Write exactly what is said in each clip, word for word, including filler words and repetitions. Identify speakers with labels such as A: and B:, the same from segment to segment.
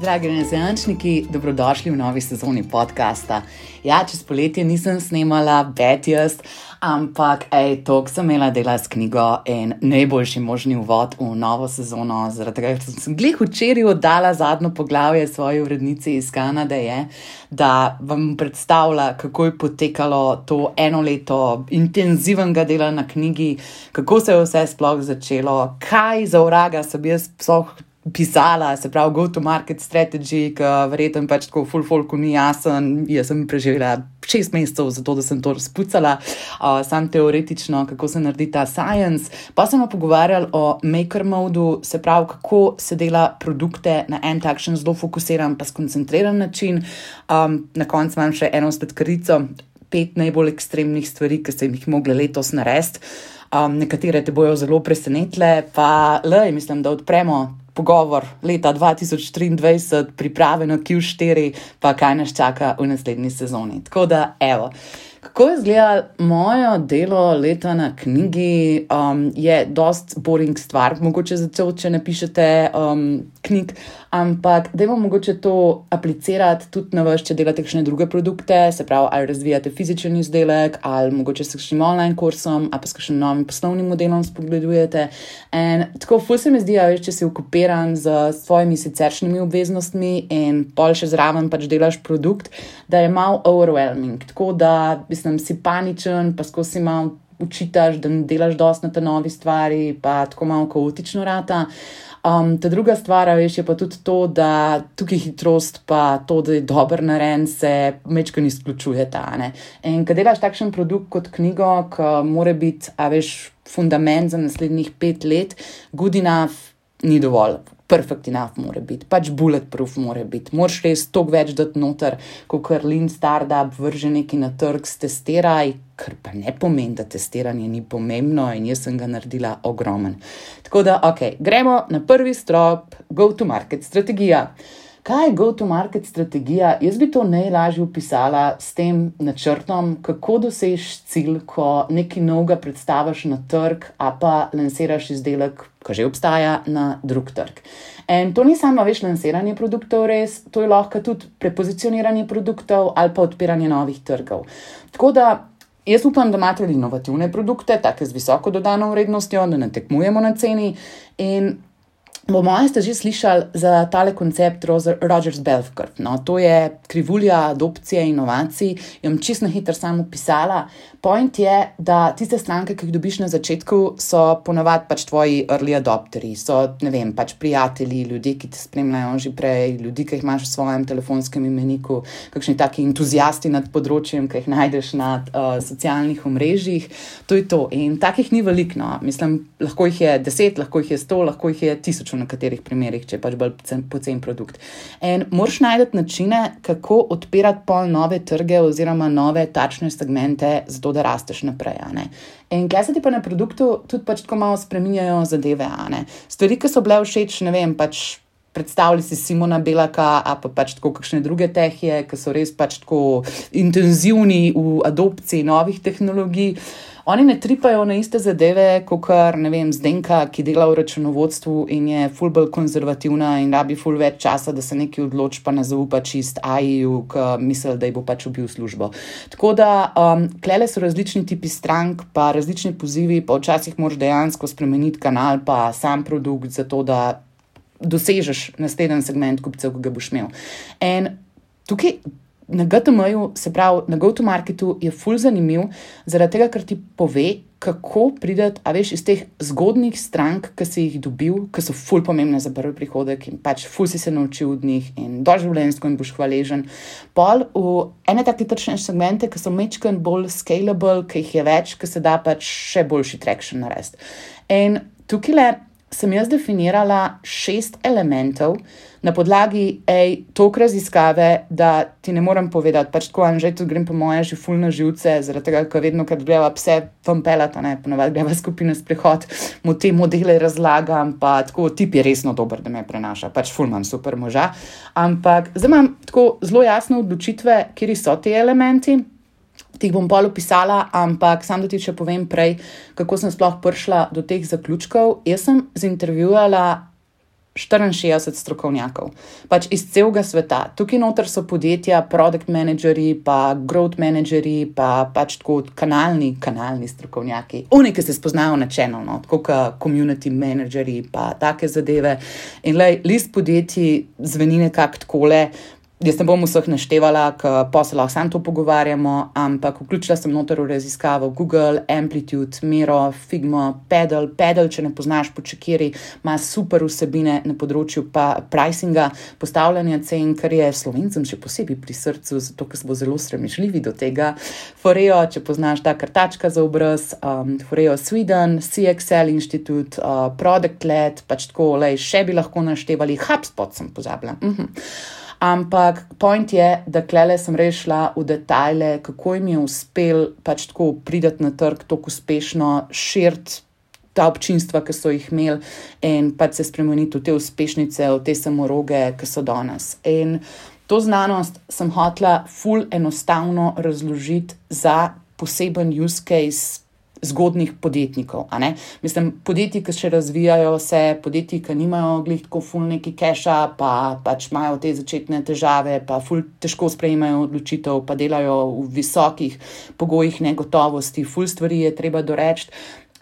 A: Dragi renesančniki, dobrodošli v novi sezoni podcasta. Ja, čez poletje nisem snemala Betjast, ampak ej, toliko sem imela dela s knjigo in najboljši možni uvod v novo sezono, zaradi tega, ker sem glih včeraj oddala zadnjo poglavje svoji urednici iz Kanade, je, da vam predstavlja, kako je potekalo to eno leto intenzivnega dela na knjigi, kako se je vse sploh začelo, kaj za vraga sem jaz sploh pisala, se pravi go-to-market strategy, ki verjetno pač tako full folku ni jasen. Jaz sem preživela šest mesecev za to, da sem to razpucala, uh, sam teoretično, kako se naredi ta science. Pa smo pogovarjali o maker modu, se pravi, kako se dela produkte na en takšen zelo fokusiran pa skoncentriran način. Um, na koncu imam še eno spletkarico, pet najbolj ekstremnih stvari, ki sem jih mogla letos narediti. Um, nekatere te bojo zelo presenetile, pa lej, mislim, da odpremo pogovor leta dva tisoč triindvajset, priprave na Q štiri, pa kaj nas čaka v naslednji sezoni. Tako da, evo, kako je izgledalo moje delo leta na knjigi, um, je dost boring stvar, mogoče začel, če ne pišete um, knjig, ampak dajmo mogoče to aplicirati tudi na vas, če delate kakšne druge produkte, se pravi, ali razvijate fizičen izdelek, ali mogoče s kakšnim online kursom, ali pa s kakšnim novim poslovnim modelom spogledujete. In tako, ful se mi zdi, a veš, če si okupiran z svojimi siceršnjimi obveznostmi in pol še zraven pač delaš produkt, da je malo overwhelming. Tako da, mislim, si paničen, pa skozi si malo učitaš, da ne delaš dosti na te novi stvari, pa tako malo kaotično rata. Um, ta druga stvar, veš, je pa tudi to, da tukaj hitrost pa to, da je dober narejen, se mečkaj izključujeta, ne. In ko delaš takšen produkt kot knjigo, ki mora biti, a veš, fundament za naslednjih pet let, good enough ni dovolj. Perfect enough mora biti, pač bulletproof mora biti. Moraš res toliko več dati noter, kot kar lean startup vrže neki na trg, testiraj, kar pa ne pomeni, da testiranje ni pomembno in jaz sem ga naredila ogromen. Tako da, ok, gremo na prvi strop, go-to-market strategija. Kaj je go-to-market strategija? Jaz bi to najlažje opisala s tem načrtom, kako dosežeš cilj, ko nekaj novega predstaviš na trg, a pa lansiraš izdelek, ki že obstaja, na drug trg. In to ni samo, veš, lansiranje produktov res, to je lahko tudi prepozicioniranje produktov ali pa odpiranje novih trgov. Tako da, jaz upam, da imate inovativne produkte, take z visoko dodano vrednostjo, da ne tekmujemo na ceni in po moje ste že slišali za tale koncept Rogers Bell Curve. No, to je krivulja adopcije inovacij. Jo bom čisto na hitro samo opisala. Point je, da tiste stranke, ki jih dobiš na začetku, so ponavadi pač tvoji early adopteri. So, ne vem, pač prijatelji, ljudje, ki te spremljajo že prej, ljudi, ki jih imaš v svojem telefonskem imeniku, kakšni taki entuzijasti nad področjem, ki jih najdeš na uh, socialnih omrežjih. To je to. In takih ni veliko, no. Mislim, lahko jih je deset, lahko jih je sto, lahko jih je tisoč v nekaterih primerih, če je pač bolj pocen produkt. In moraš najti načine, kako odpirati pol nove trge oziroma nove tačne segmente, zato da rasteš naprej, a ne. In kaj se ti pa na produktu tudi pač tako malo spreminjajo zadeve, a ne. Stvari, ki so bile všeč, ne vem, pač predstavljali si Simona Belaka, a pa pač tako kakšne druge tehije, ki so res pač tako intenzivni v adopciji novih tehnologij. Oni ne tripajo na iste zadeve, kakor, ne vem, Zdenka, ki dela v računovodstvu in je ful bolj konzervativna in rabi ful več časa, da se nekaj odloči, pa ne zaupa čist A I-ju, ki misli, da ji bo pač ubil službo. Tako da, um, klele so različni tipi strank, pa različni pozivi, pa včasih moraš dejansko spremeniti kanal, pa sam produkt, zato da dosežeš naslednji segment kupcev, ki ga boš imel. In tukaj na G T M-ju, se pravi, na go-to-marketu je ful zanimiv, zaradi tega, ker ti pove, kako prideti, a veš, iz teh zgodnih strank, ki si jih dobil, ki so ful pomembne za prvi prihodek in pač ful si se naučil od njih in doživljenjsko in boš hvaležen. Pol v ene take tržne segmente, ki so mečken bolj scalable, ki jih je več, ki se da pač še boljši traction narediti. In tukaj sem jaz definirala šest elementov na podlagi, ej, toliko raziskave, da ti ne morem povedati, pač tako, Anžej, tudi grem po moje že ful na živce, zaradi tega, ker vedno, kad greva pse vam pelata, ne, ponovadi greva skupina sprehod, mu te modele razlagam, pa tako, tip je resno dober, da me prenaša, pač ful imam super moža, ampak zdaj imam tako zelo jasne odločitve, kjeri so ti elementi, ti jih bom pol opisala, ampak sam da ti še povem prej, kako sem sploh prišla do teh zaključkov. Jaz sem zintervjujala štiriinšestdeset strokovnjakov, pač iz celega sveta. Tukaj noter so podjetja, product manageri, pa growth manageri, pa pač tako kanalni, kanalni strokovnjaki. Oni, ki se spoznajo na channel, no, tako kot community manageri, pa take zadeve. In lej, list podjetij zveni nekako takole. Jaz ne bom vseh naštevala, ker pa se lahko sam to pogovarjamo, ampak vključila sem noter v raziskavo Google, Amplitude, Miro, Figma, Pedal. Pedal, če ne poznaš po čekiri, ima super vsebine na področju pa pricinga, postavljanja cen, kar je Slovencem še posebej pri srcu, zato ker smo zelo sramežljivi do tega. Foreo, če poznaš ta kartačka za obraz, um, Foreo Sweden, C X L Institute, uh, Product Led, pač tako, lej, še bi lahko naštevali, HubSpot sem pozabila. Mhm. Ampak point je, da klele sem res šla v detajle, kako jim je uspel pač tako pridati na trg, tako uspešno širiti ta občinstva, ki so jih imeli in pač se spremeniti v te uspešnice, v te samoroge, ki so danes. In to znanost sem hotela ful enostavno razložiti za poseben use case zgodnih podjetnikov, a ne? Mislim, podjetji, ki še razvijajo se, podjetji, ki nimajo glih tako ful neki keša, pa pač imajo te začetne težave, pa ful težko sprejemajo odločitev, pa delajo v visokih pogojih negotovosti, ful stvari je treba doreči.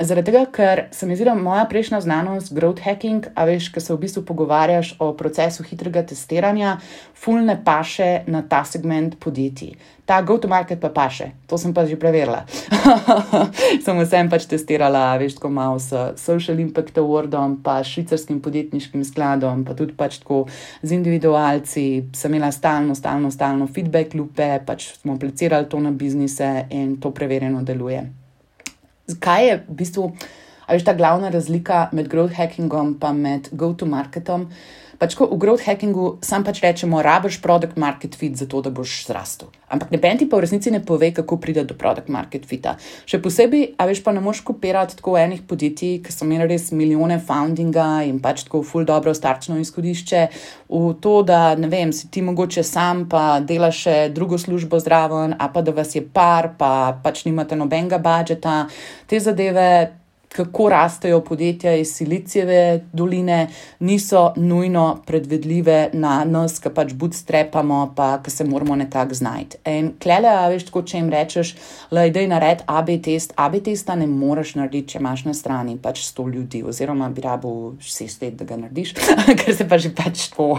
A: Zaradi tega, ker se mi zdi, da moja prejšnja znanost, growth hacking, a veš, ko se v bistvu pogovarjaš o procesu hitrega testiranja, ful ne paše na ta segment podjetij. Ta go-to-market pa paše, to sem pa že preverila. Sem vsem pač testirala, veš, tako malo s Social Impact Awardom, pa švicarskim podjetniškim skladom, pa tudi pač tako z individualci, sem imela stalno, stalno, stalno feedback loope, pač smo aplicirali to na biznise in to preverjeno deluje. Kaj je v bistvu, a veš, ta glavna razlika med growth hackingom pa med go-to-marketom? Pač ko v growth hackingu sam pač rečemo, rabiš product market fit za to, da boš zrastel. Ampak noben ti pa v resnici ne pove, kako pride do product market fita. Še posebej, a veš, pa ne moš kopirati tako enih podjetij, ki so imeli res milijone foundinga in pač tako ful dobro startno izhodišče v to, da, ne vem, si ti mogoče sam pa delaš še drugo službo zraven, a pa da vas je par, pa pač nimate nobenega budžeta. Te zadeve, kako rastejo podjetja iz Silicijeve doline, niso nujno predvidljive na nas, ki pač bootstrapamo, pa ki se moramo nekako znajti. In klele, a veš, tako, če jim rečeš, lej, daj nared A B test, A B testa ne moreš narediti, če imaš na strani pač sto ljudi, oziroma bi rabil šest let, da ga narediš, ker se pa že pač to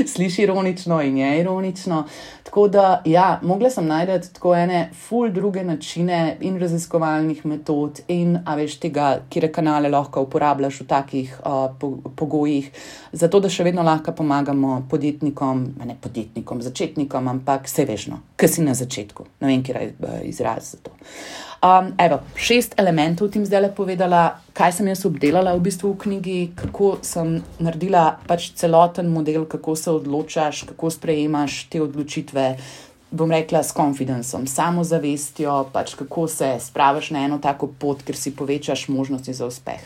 A: sliši ironično in je ironično. Tako da, ja, mogla sem najdeti tako ene ful druge načine in raziskovalnih metod in, a veš, tega, kire kanale lahko uporabljaš v takih uh, pogojih, zato da še vedno lahko pomagamo podjetnikom, ne podjetnikom, začetnikom, ampak se veš, no, ki si na začetku. Ne vem, kjer je izraz za to. Um, evo, šest elementov tim zdaj le povedala, kaj sem jaz obdelala v bistvu v knjigi, kako sem naredila pač celoten model, kako se odločaš, kako sprejemaš te odločitve, bom rekla, s confidenceom, samozavestjo, pač kako se spraviš na eno tako pot, ker si povečaš možnosti za uspeh.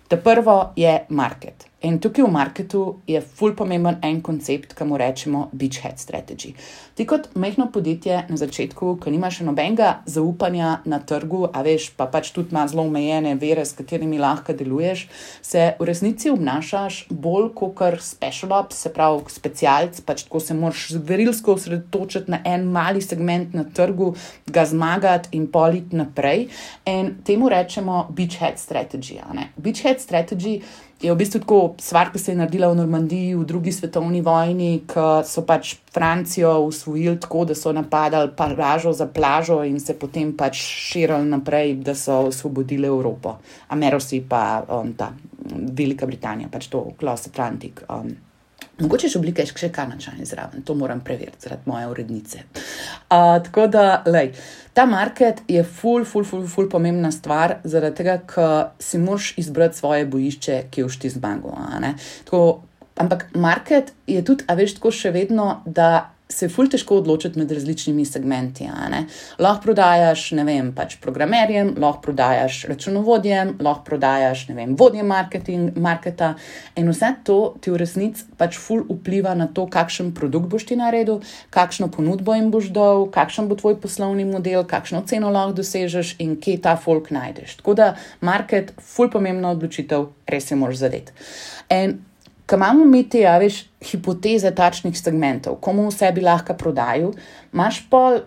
A: Ta prvo je market. In tukaj v marketu je ful pomemben en koncept, ki mu rečemo beachhead strategy. Ti kot majhno podjetje na začetku, ko nimaš še nobenega zaupanja na trgu, a veš, pa pač tudi ima zelo omejene vere, s katerimi lahko deluješ, se v resnici obnašaš bolj kakor special ops, se pravi specialc, pač tako se moraš zverilsko osredotočiti na en mali segment na trgu, ga zmagati in politi naprej. In temu rečemo beachhead strategy. Ne? Beachhead strategy je v bistvu tako stvar, ki se je naredila v Normandiji v drugi svetovni vojni, ko so pač Francijo usvojili tako, da so napadali plažo za plažo in se potem pač širili naprej, da so osvobodili Evropo. Amerosi pa um, ta Velika Britanija, pač to Cross Atlantic. Um, mogoče še oblike še Kanačani zraven, to moram preveriti zaradi moje urednice. Uh, tako da, lej, ta market je ful, ful, ful, ful pomembna stvar, zaradi tega, ker si moraš izbrati svoje bojišče, ki boš ti zmagal. Tako, ampak market je tudi, a veš, tako še vedno, da se je ful težko odločiti med različnimi segmenti. Lahko prodajaš, ne vem, pač programerjem, lahko prodajaš računovodjem, lahko prodajaš, ne vem, vodjem marketing, marketa in vse to ti v resnici pač ful vpliva na to, kakšen produkt boš ti naredil, kakšno ponudbo jim boš dal, kakšen bo tvoj poslovni model, kakšno ceno lahko dosežeš in kje ta folk najdeš. Tako da market, ful pomembna odločitev, res se moraš zadeti. In ko imamo mi te, ja, veš, hipoteze takšnih segmentov, komu vse bi lahko prodajal, imaš pol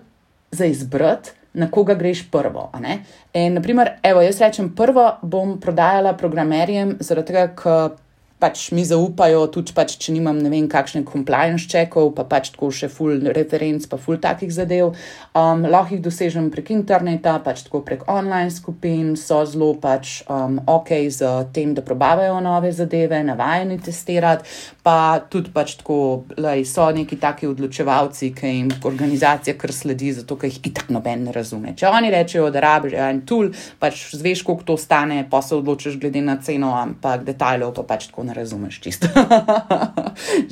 A: za izbrati, na koga greš prvo. A ne? In, naprimer, evo, jaz rečem, prvo bom prodajala programerjem, zaradi tega, ker pač mi zaupajo, tudi pač, če nimam ne vem kakšne compliance checkov, pa pač tako še full referenc, pa full takih zadev. Um, lahko jih dosežem prek interneta, pač tako prek online skupin, so zelo pač um, ok z tem, da probavajo nove zadeve, navajeni testirati, pa tudi pač tako, lej, so neki taki odločevalci, ki jim organizacija kar sledi, zato, ker jih itak noben ne razume. Če oni rečejo, da rabiš en tool, pač zveš, koliko to stane, pa se odločiš glede na ceno, ampak detajlov pa pač tako ne razumeš čisto.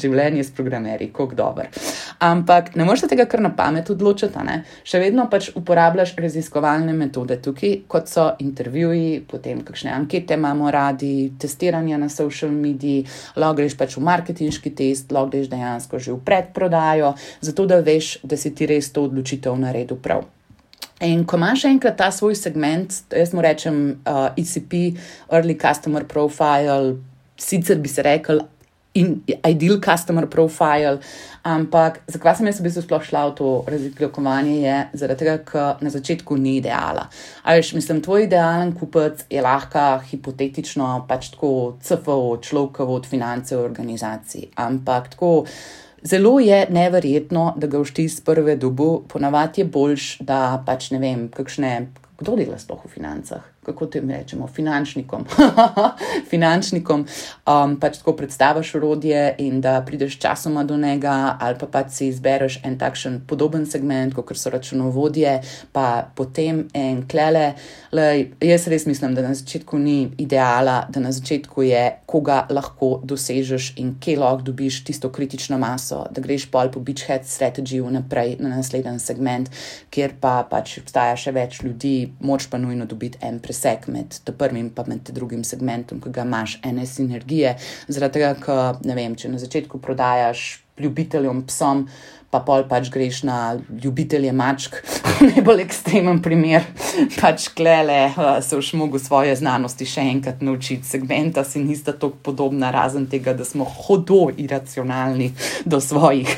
A: Življenje s programerji, koliko dober. Ampak ne moreš tega kar na pamet odločiti, ne? Še vedno pač uporabljaš raziskovalne metode tukaj, kot so intervjuji, potem kakšne ankete imamo radi, testiranja na social mediji, lahko greš pač v marketinški test, lahko greš dejansko že v predprodajo, zato da veš, da si ti res to odločitev naredil prav. In ko imaš enkrat ta svoj segment, jaz mu rečem uh, E C P, Early Customer Profile, sicer bi se rekel in ideal customer profile, ampak zakaj sem jaz v bistvu sploh šla v to razlikovanje je zaradi tega, ker na začetku ni ideala. A veš, mislim, tvoj idealen kupec je lahko hipotetično pač tako C F O, človekovo od finance v organizaciji, ampak tako zelo je neverjetno, da ga všti iz prve dobu, ponavadi je boljš, da pač ne vem, kakšne, kdo dela sploh v financah? Kako te rečemo, finančnikom, finančnikom, um, pač tako predstaviš orodje in da prideš časoma do njega ali pa pač si izbereš en takšen podoben segment, kot so računovodje, pa potem en klele. Lej, jaz res mislim, da na začetku ni ideala, da na začetku je, koga lahko dosežeš in kje lahko dobiš tisto kritično maso, da greš pol po beachhead strategy vnaprej na naslednji segment, kjer pa pač obstaja še več ljudi, moč pa nujno dobiti en preseg med prvim pa med drugim segmentom, ki ga imaš ene sinergije, zaradi tega, ker, ne vem, če na začetku prodajaš ljubiteljem psom, pa pol pač greš na ljubitelje mačk, najbolj ekstremen primer, pač klele se už mogo svoje znanosti še enkrat naučiti, segmenta si nista toliko podobna, razen tega, da smo hodo iracionalni do svojih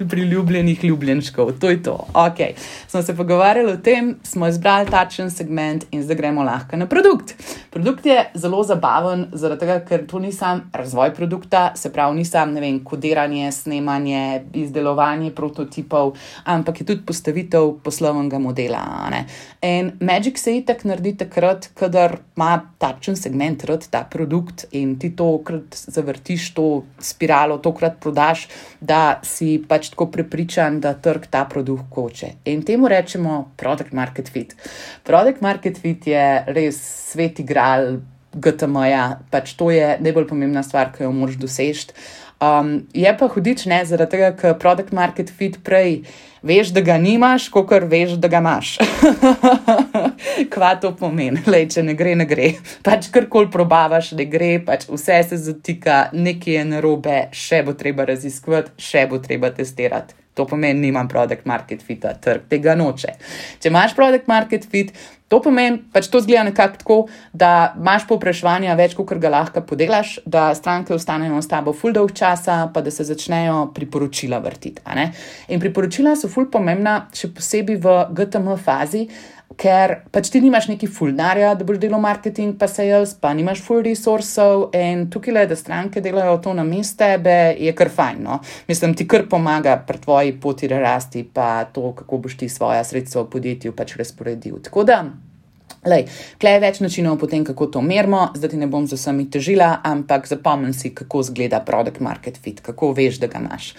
A: priljubljenih ljubljenčkov, to je to. Ok, smo se pogovarjali o tem, smo izbrali takšen segment in zdaj gremo lahko na produkt. Produkt je zelo zabaven, zaradi tega, ker to ni sam razvoj produkta, se pravi, ni sam, ne vem, kodiranje, snemanje, izdelovanje prototipov, ampak je tudi postavitev poslovnega modela. Ne? In Magic se itak naredi takrat, kadar ima takšen segment rad ta produkt in ti tokrat zavrtiš to spiralo, tokrat prodaš, da si pač tako prepričan, da trg ta produkt hoče. In temu rečemo product market fit. Product market fit je res svet igral G T M-ja, pač to je najbolj pomembna stvar, ki jo moraš doseči. Um, je pa hudič, ne, zaradi tega, ker product market fit prej veš, da ga nimaš, kakor veš, da ga imaš. Kva to pomeni? Lej, če ne gre, ne gre. Pač karkoli probavaš, ne gre, pač vse se zatika, nekaj je narobe, še bo treba raziskovati, še bo treba testirati. To pomeni, nimam product market fita, trg tega noče. Če imaš product market fit, to pomeni, pač to zgleda nekako tako, da imaš povpraševanja več, kakor ga lahko podelaš, da stranke ostanejo s tabo ful dolg časa, pa da se začnejo priporočila vrtiti. A ne? In priporočila so ful pomembna, še posebej v G T M fazi, ker pač ti nimaš neki ful denarja, da boš delal marketing pa sales, pa nimaš ful resursov in tukaj le, da stranke delajo to na mesto tebe, je kar fajn, no. Mislim, ti kar pomaga pri tvoji poti rasti, pa to, kako boš ti svoja sredstva v podjetju pač razporedil. Tako da, lej, tle je več načinov potem, kako to merimo, zdaj ti ne bom z vsemi težila, ampak zapomni si, kako zgleda product market fit, kako veš, da ga imaš.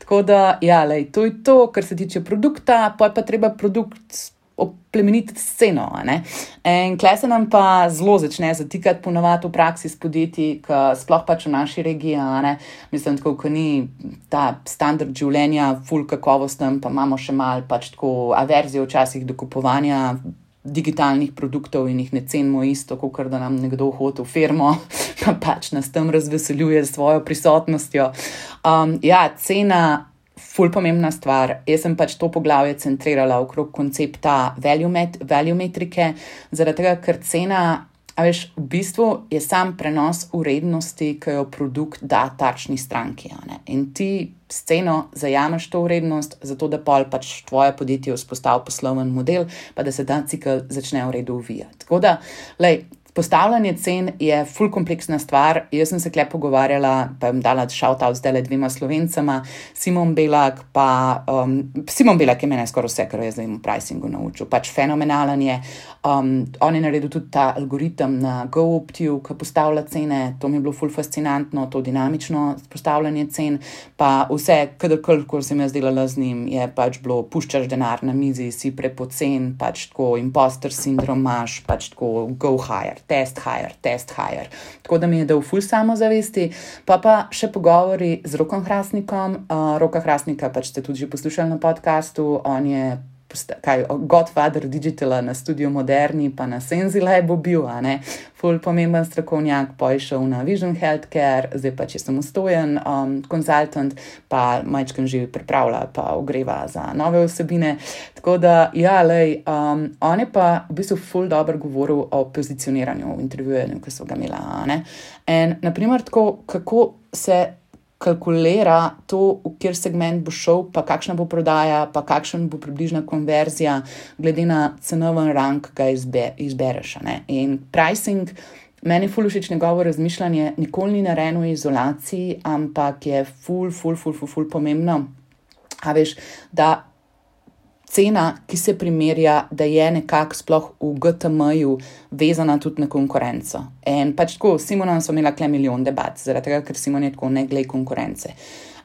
A: Tako da, ja, lej, to je to, kar se tiče produkta, pa je pa treba produkt oplemeniti sceno, ne? In kle se nam pa zelo začne zatikati ponavadi v praksi s podjetji, ki sploh pač v naši regiji, ne? Mislim, tako, ko ni ta standard življenja ful kakovosten, pa imamo še mal pač tako averzijo včasih do kupovanja digitalnih produktov in jih ne cenimo isto, kot da nam nekdo hodi v firmo, pa pač nas tam razveseljuje s svojo prisotnostjo. Um, ja, cena ful pomembna stvar. Jaz sem pač to poglavje centrirala okrog koncepta value, met, value metrike, zaradi tega, ker cena A veš, v bistvu je sam prenos vrednosti, ki jo produkt da tarčni stranki. Ne? In ti s ceno zajameš to vrednost, zato da pol pač tvoje podjetje vzpostavi posloven model, pa da se ta cikel začne v redu uvijati. Tako da, lej, postavljanje cen je ful kompleksna stvar. Jaz sem se kle pogovarjala, pa jim dala shout-out zdajle dvema Slovencama, Simon Belak, pa um, Simon Belak je mene skoraj vse, kar je zdaj v pricingu naučil. Pač fenomenalen je. Um, on je naredil tudi ta algoritem na GoOptiju, ki postavlja cene. To mi je bilo ful fascinantno, to dinamično postavljanje cen. Pa vse, kadarkoli, ko sem jaz delala z njim, je pač bilo, puščaš denar na mizi, si prepocen, pač tako imposter sindrom imaš, pač tako go higher. Test higher, test higher. Tako da mi je dal ful samozavesti, pa pa še pogovori z Rokom Hrastnikom. Uh, Roka Hrastnika pač ste tudi že poslušali na podcastu, on je kaj, godfather digitala na Studio Moderni, pa na Senzilabu bil, a ne, ful pomemben strokovnjak, pa je šel na Vision Healthcare, zdaj pač je samostojen um, konzultant, pa majčkam že pripravlja, pa ogreva za nove vsebine. Tako da, ja, lej, um, on je pa v bistvu ful dobro govoril o pozicioniranju v intervjuju, ki so ga imela, a ne. In, naprimer, tako, kako se kalkulira to, v kjer segment bo šel, pa kakšna bo prodaja, pa kakšen bo približna konverzija, glede na cenovni rang, ki ga izbe, izbereš. Ne? In pricing, meni je ful všeč njegovo razmišljanje, nikoli ni narejeno v izolaciji, ampak je ful, ful, ful, ful, ful pomembno. A veš, da cena, ki se primerja, da je nekako sploh v G T M-ju vezana tudi na konkurenco. In pač tako, s Simonom smo imela kle milijon debat, zaradi tega, ker Simon je tako ne glej konkurence.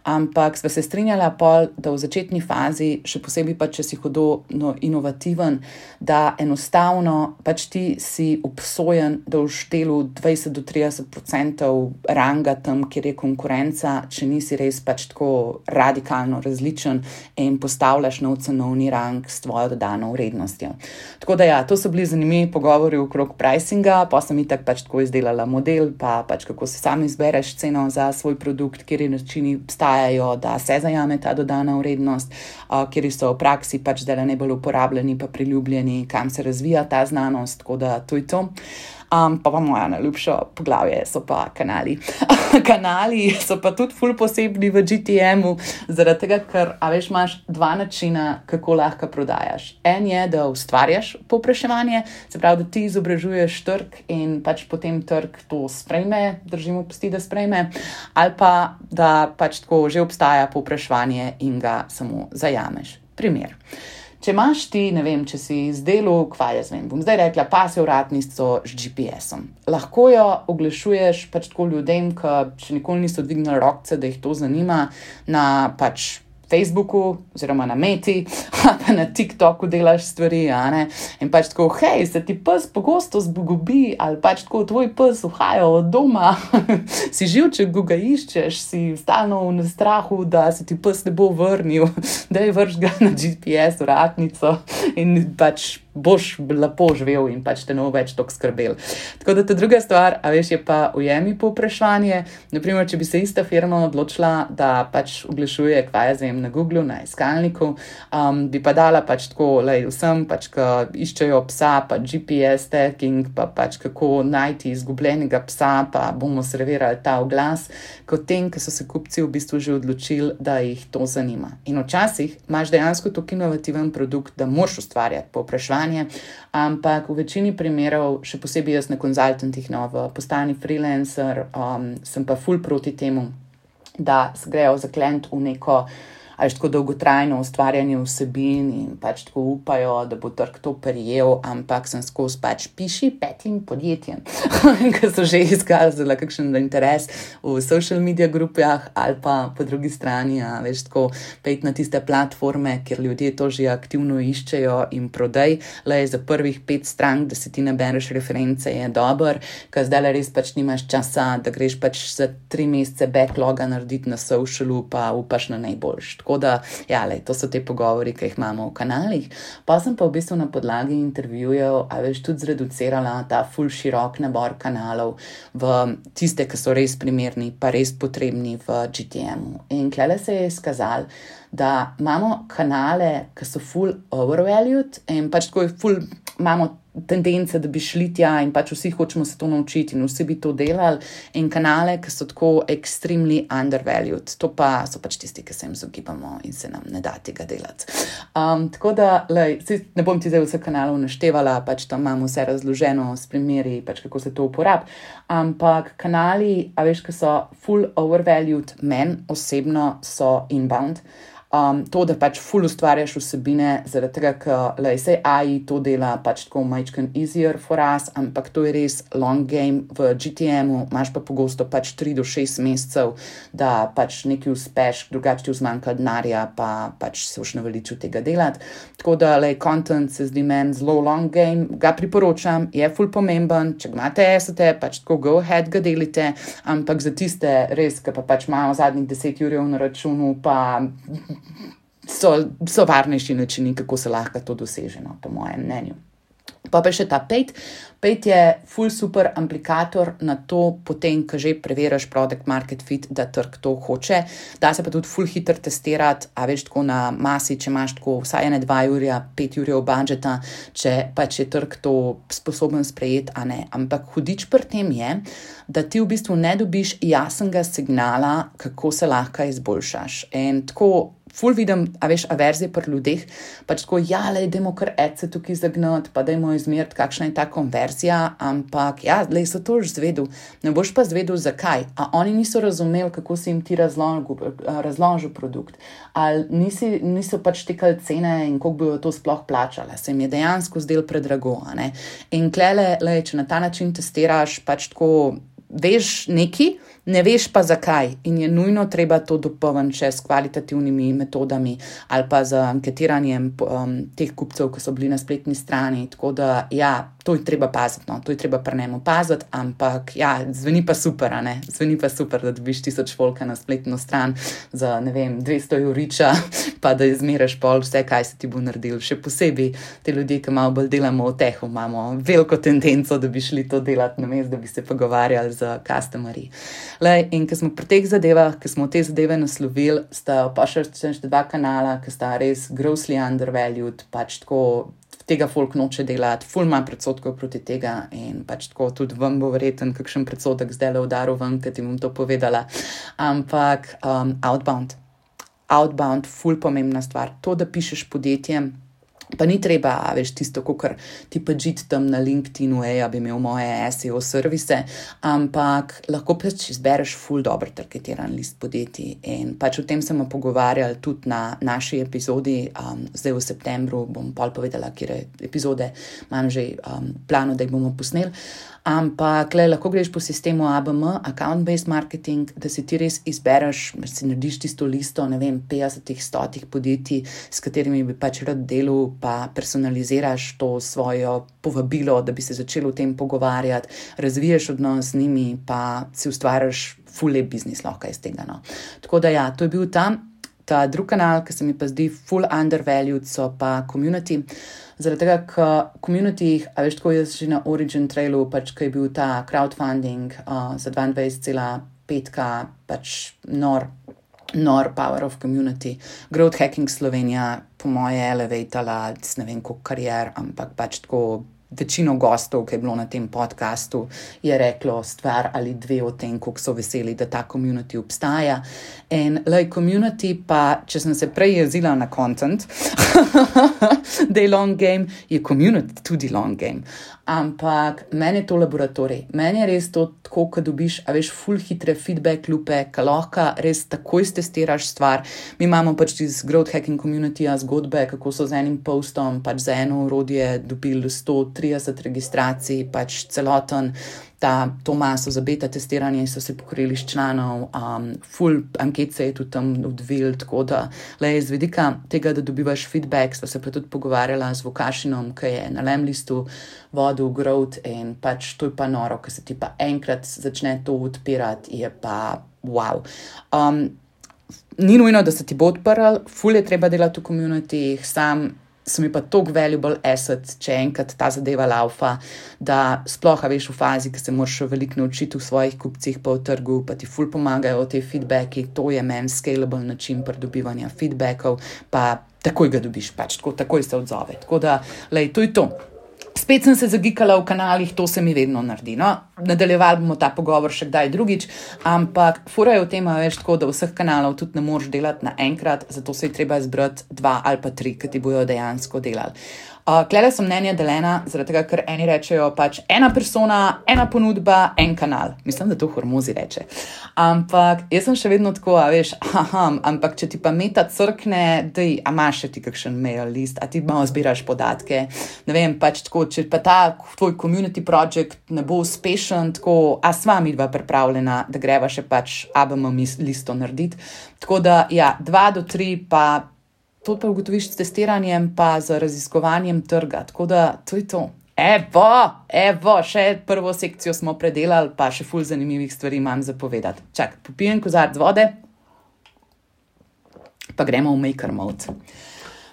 A: Ampak sva se strinjala pol, da v začetni fazi, še posebej pa, če si hudo no, inovativen, da enostavno pač ti si obsojen, da v štelu dvajset do trideset procentov ranga tam, kjer je konkurenca, če nisi res pač tako radikalno različen in postavljaš nov cenovni rang s tvojo dodano vrednostjo. Tako da ja, to so bili zanimivi pogovori okrog pricinga, pa sem itak pač tako izdelala model, pa pač kako si sam izbereš ceno za svoj produkt, kjer je načini obstajajo, da se zajame ta dodana vrednost, uh, kjer so v praksi pač zdaj najbolj uporabljeni pa priljubljeni, kam se razvija ta znanost, tako da to je to. Um, pa pa moja najljubša poglavje so pa kanali. Kanali so pa tudi ful posebni v G T M-u, zaradi tega, ker, a veš, imaš dva načina, kako lahko prodajaš. En je, da ustvarjaš povpraševanje, se pravi, da ti izobražuješ trg in pač potem trg to sprejme, držimo pesti, da sprejme, ali pa, da pač tako že obstaja povpraševanje in ga samo zajameš. Primer. Če imaš ti, ne vem, če si izdelal, kva jaz vem, bom zdaj rekla, pasjo vratnico z G P S-om. Lahko jo oglašuješ pač tako ljudem, ki še nikoli niso dvignili rokce, da jih to zanima, na pač Facebooku oziroma na Meti, pa na TikToku delaš stvari, a ne? In pač tako, hej, se ti pes pogosto zbogobi, ali pač tako tvoj pes uhaja od doma, si živček, ko ga iščeš, si stalno v strahu, da se ti pes ne bo vrnil, da je vrš ga na G P S vratnico in pač boš lepo živel in pač te ne bo več toliko skrbel. Tako da ta druga stvar, a veš, je pa ujemi povpraševanje. Naprimer, če bi se ista firma odločila, da pač oglašuje, kva jaz vem, na Googlu, na iskalniku, um, bi pa dala pač tako, lej, vsem, pač, ki iščejo psa, pa G P S tracking, pa pač kako najti izgubljenega psa, pa bomo servirali ta oglas, kot tem, ki so se kupci v bistvu že odločili, da jih to zanima. In včasih imaš dejansko tako inovativen produkt, da moraš ustvarjati povpraševanje, ampak v večini primerov, še posebej jaz na konzultantih, no, v postani freelancer, um, sem pa ful proti temu, da se grejo za klient v neko ali tako dolgotrajno ustvarjanje vsebin in pač tako upajo, da bo trg to prijel, ampak sem skozi pač piši petim podjetjem, ki so že izkazali kakšen interes v social media grupah ali pa po drugi strani, a veš, tako pejt na tiste platforme, kjer ljudje to že aktivno iščejo in prodaj, le za prvih pet strank, da si ti nabereš reference, je dober, ker zdaj res pač nimaš časa, da greš pač za tri mesece backloga narediti na socialu, pa upaš na najboljš. Tako da, ja, lej, to so te pogovori, ki jih imamo v kanalih. Pa sem pa v bistvu na podlagi intervjujev, a veš, tudi zreducirala ta ful širok nabor kanalov v tiste, ki so res primerni, pa res potrebni v G T M-u. In klele se je izkazalo, da imamo kanale, ki so ful overvalued in pač tako je ful imamo tendence, da bi šli tja in pač vsi hočemo se to naučiti in vsi bi to delali in kanale, ki so tako extremely undervalued. To pa so pač tisti, ki se jim zogibamo in se nam ne da tega delati. Um, tako da, lej, ne bom ti zdaj vse kanalov naštevala, pač tam imamo vse razloženo s primeri, pač kako se to uporabi, ampak kanali, a veš, ki so full overvalued, men osebno so inbound. Um, to, da pač ful ustvarjaš vsebine, zaradi tega, ker lej, sej A I to dela pač tako majčken easier for us, ampak to je res long game. V G T M-u imaš pa pogosto pač tri do šest mesecev, da pač nekaj uspeš, drugače ti vzmanjka denarja, pa pač se boš naveličil tega delati. Tako da, lej, content se zdi meni zelo long game, ga priporočam, je ful pomemben, če ga imate esete, pač tako go ahead ga delite, ampak za tiste res, ki pa pač imajo zadnjih deset jurjev na računu, pa So, so varnejši načini, kako se lahko to doseže, no, po mojem mnenju. Pa pa še ta Paid. Paid je ful super aplikator na to, potem, ko že preveriš product market fit, da trg to hoče. Da se pa tudi ful hitro testirati, a veš, tako na masi, če imaš tako vsaj ene dva jurja, pet jurjev budžeta, če pač je trg to sposoben sprejeti, a ne. Ampak hudič pri tem je, da ti v bistvu ne dobiš jasnega signala, kako se lahko izboljšaš. In tako ful vidim, a veš, averzije pri ljudeh, pač tako, ja, lej, dajmo kar adse tukaj zagnati, pa dajmo izmeriti, kakšna je ta konverzija, ampak ja, lej, so to už zvedel, ne boš pa zvedel, zakaj, a oni niso razumeli, kako si jim ti razložil, razložil produkt, ali nisi, niso pač tekali cene in koliko bi to sploh plačala, se jim je dejansko zdel predrago, a ne, in klele, lej, če na ta način testiraš, pač tako, veš neki, ne veš pa zakaj in je nujno treba to dopolniti še s kvalitativnimi metodami ali pa z anketiranjem um, teh kupcev, ki so bili na spletni strani, tako da ja, to je treba paziti, no, to je treba pri njemu paziti, ampak ja, zveni pa super, a ne, zveni pa super, da dobiš tisoč volka na spletno stran za, ne vem, dvesto juriča, pa da izmeraš pol vse, kaj se ti bo naredil, še posebej te ljudje, ki malo bolj delamo v tehu, imamo veliko tendenco, da bi šli to delati namesto, da bi se pogovarjali z customerji. Lej, in ko smo pri teh zadevah, ko smo te zadeve naslovili, sta pa še dva kanala, ki sta res grossly undervalued, pač tako tega folk noče delati, ful ima predsodkov proti tega in pač tako tudi vam bo verjeten kakšen predsodek zdaj le udaril ven, kad ti bom to povedala. Ampak um, outbound. Outbound, ful pomembna stvar. To, da pišeš podjetjem, pa ni treba, veš, tisto, kakor ti pa žiti tam na LinkedInu, ej, ja bi imel moje S E O servise, ampak lahko pač izbereš ful dober targetiran list podjetij in pač o tem smo pogovarjali tudi na naši epizodi, um, zdaj v septembru bom pol povedala, kjer epizode imam že um, plano, da jih bomo posneli. Ampak le, lahko greš po sistemu A B M, account-based marketing, da si ti res izbereš, da si narediš tisto listo, ne vem, petdesetih, stotih podjetij, s katerimi bi pač rad delal, pa personaliziraš to svojo povabilo, da bi se začel o tem pogovarjati, razviješ odnos z njimi, pa si ustvarjaš ful lep biznis lahko iz tega. No. Tako da ja, to je bil tam. Ta drug kanal, ki se mi pa zdi full undervalued, so pa community. Zaradi tega, ker community, a veš, tako jaz že na Origin Trailu, pač, ki je bil ta crowdfunding uh, za dvaindvajset cela pet ka, pač nor, nor power of community. Growth Hacking Slovenija, po moje, elevatala, ne vem, koliko karier, ampak pač tako večino gostov, ki je bilo na tem podcastu, je reklo stvar ali dve o tem, koliko so veseli, da ta community obstaja. In lej, community pa, če sem se prej jezila na content, da je long game, je community tudi long game. Ampak meni je to laboratorij. Meni je res to tako, ko dobiš, a veš, ful hitre feedback lupe, ko lahko res takoj testiraš stvar. Mi imamo pač iz Growth Hacking Community-a zgodbe, kako so z enim postom pač za eno orodje dobili sto trideset registracij, pač celoten ta, to maso za beta testiranje so se pokrili s članov, um, full anket se je tudi tam odvil, tako da le iz vidika tega, da dobivaš feedback, sva se pa tudi pogovarjala z Vukašinom, ki je na Lemlistu vodil growth in pač to je pa noro, ko se ti pa enkrat začne to odpirati, je pa wow. Um, ni nujno, da se ti bo odprl, full je treba delati v komunitih, sam so mi pa toliko valuable asset, če enkrat ta zadeva laufa, da sploh, a veš, v fazi, ki se moraš veliko naučiti v svojih kupcih pa v trgu, pa ti ful pomagajo te feedbacki, to je meni scalable način pridobivanja feedbackov, pa takoj ga dobiš, pač tako, takoj se odzove. Tako da, lej, to je to. Spet sem se zagikala v kanalih, to se mi vedno naredi. No? Nadaljevali bomo ta pogovor še kdaj drugič, ampak fura je v tem, veš, tako, da vseh kanalov tudi ne moreš delati naenkrat, zato se je treba izbrati dva ali pa tri, ki ti bojo dejansko delali. Uh, Klele so mnenja deljena, zaradi tega, ker eni rečejo pač ena persona, ena ponudba, en kanal. Mislim, da to Hormozi reče. Ampak jaz sem še vedno tako, a veš, aha, ampak če ti pa Meta crkne, dej, a imaš še ti kakšen mail list, a ti malo zbiraš podatke, ne vem, pač tako, če pa ta tvoj community project ne bo uspešen, tako, a sva mi dva pripravljena, da greva še pač A B M listo narediti. Tako da, ja, dva do tri pa to pa ugotoviš s testiranjem pa z raziskovanjem trga. Tako da, to je to. Evo, evo, še prvo sekcijo smo predelali, pa še ful zanimivih stvari imam za povedati. Čak, popijem kozarc vode, pa gremo v Maker Mode.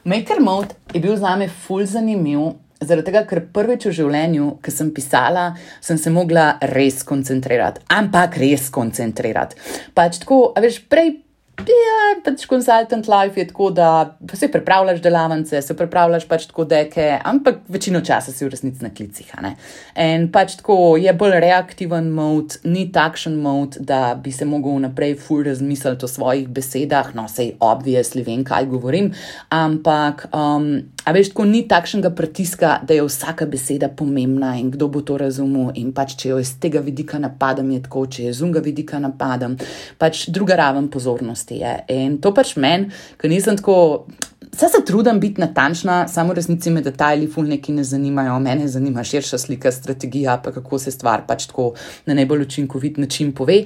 A: Maker Mode je bil zame ful zanimiv, zaradi tega, ker prvič v življenju, ko sem pisala, sem se mogla res koncentrirati. Ampak res koncentrirati. Pač tako, a veš, prej ja, pač consultant life je tako, da se pripravljaš delavnice, se pripravljaš pač tako deke, ampak večino časa si v resnici na klicih, a ne. In pač tako je bolj reaktiven mod, ni takšen mod, da bi se mogel naprej ful razmisliti o svojih besedah, no, sej obviously vem, kaj govorim, ampak um, a veš, tako ni takšnega pritiska, da je vsaka beseda pomembna in kdo bo to razumel in pač, če jo iz tega vidika napadam, je tako, če je z unga vidika napadam, pač druga raven pozornosti je. In to pač meni, ker nisem tako, vse se trudim biti natančna, samo v resnici me detajli ful neki ne zanimajo, mene zanima širša slika, strategija, pa kako se stvar pač tako na najbolj učinkovit način pove.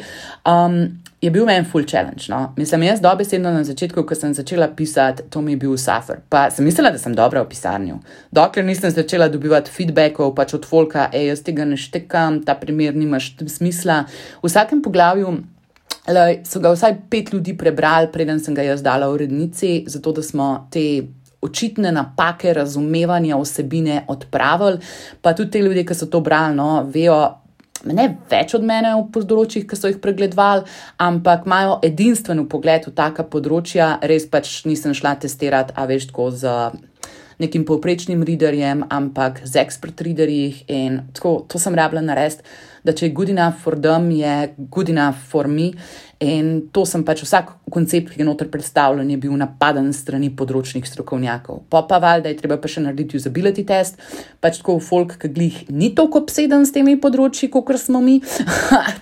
A: Um, je bil meni full challenge, no. Mislim, jaz dobesedno na začetku, ko sem začela pisati, to mi je bil suffer. Pa sem mislila, da sem dobra v pisarnju. Dokler nisem začela dobivati feedbackov pač od folka, ej, jaz tega ne štekam, ta primer nimaš smisla. V vsakem poglavju Lej, so ga vsaj pet ljudi prebrali, preden sem ga jaz dala v urednici, zato da smo te očitne napake razumevanja vsebine odpravili, pa tudi te ljudje, ki so to brali, no, vejo, ne več od mene v področjih, ki so jih pregledovali, ampak imajo edinstven pogled v taka področja, res pač nisem šla testirati, a veš, tako z nekim povprečnim readerjem, ampak z expert readerjih in tako, to sem rabila narediti, da če je good enough for them, je good enough for me in to sem pač vsak koncept, ki je noter predstavljen, je bil napaden strani področnih strokovnjakov. Pa pa valjda je treba pa še narediti usability test, pač tako folk, ki glih ni toliko obseden s temi področji, kakor smo mi,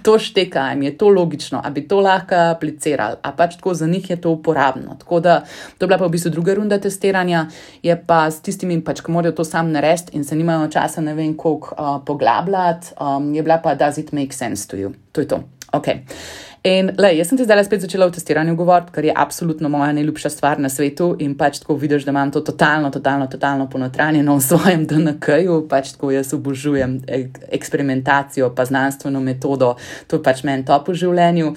A: to šteka, jim je to logično, a bi to lahko aplicirali, a pač tako za njih je to uporabno. Tako da, to je bila pa v bistvu druga runda testiranja, je pa s tistimi, pač, ki morajo to sam narediti in se nimajo časa ne vem koliko uh, poglabljati, um, je bila pa does it make sense to you? To je to. Ok. In lej, jaz sem te zdaj spet začela v testiranju govoriti, kar je absolutno moja najljubša stvar na svetu in pač tako vidiš, da imam to totalno, totalno, totalno ponotranjeno v svojem D N K-ju, pač tako jaz obožujem eksperimentacijo pa znanstveno metodo, to je pač meni top v življenju.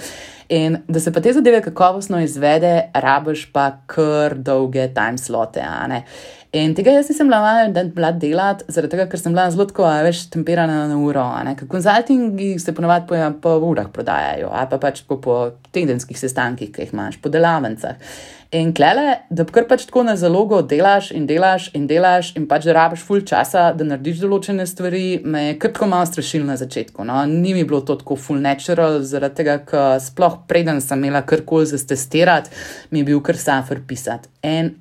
A: In da se pa te zadeve kakovostno izvede, rabiš pa kar dolge time slote, a ne. In tega jaz nisem bila delati, zaradi tega, ker sem bila zelo tako, veš, temperana na uro, a ne. Konzultingi se ponovadi po, po urah prodajajo, a pa pač po, po tedenskih sestankih, ki jih imaš, po delavnicah. In klele, da kar pač tako na zalogo delaš in delaš in delaš in pač da rabiš ful časa, da narediš določene stvari, me je kar tako malo strašilo na začetku, no. Ni mi bilo to tako full natural, zaradi tega, ker sploh preden sem imela karkoli za testirati, mi je bil kar suffer pisati. In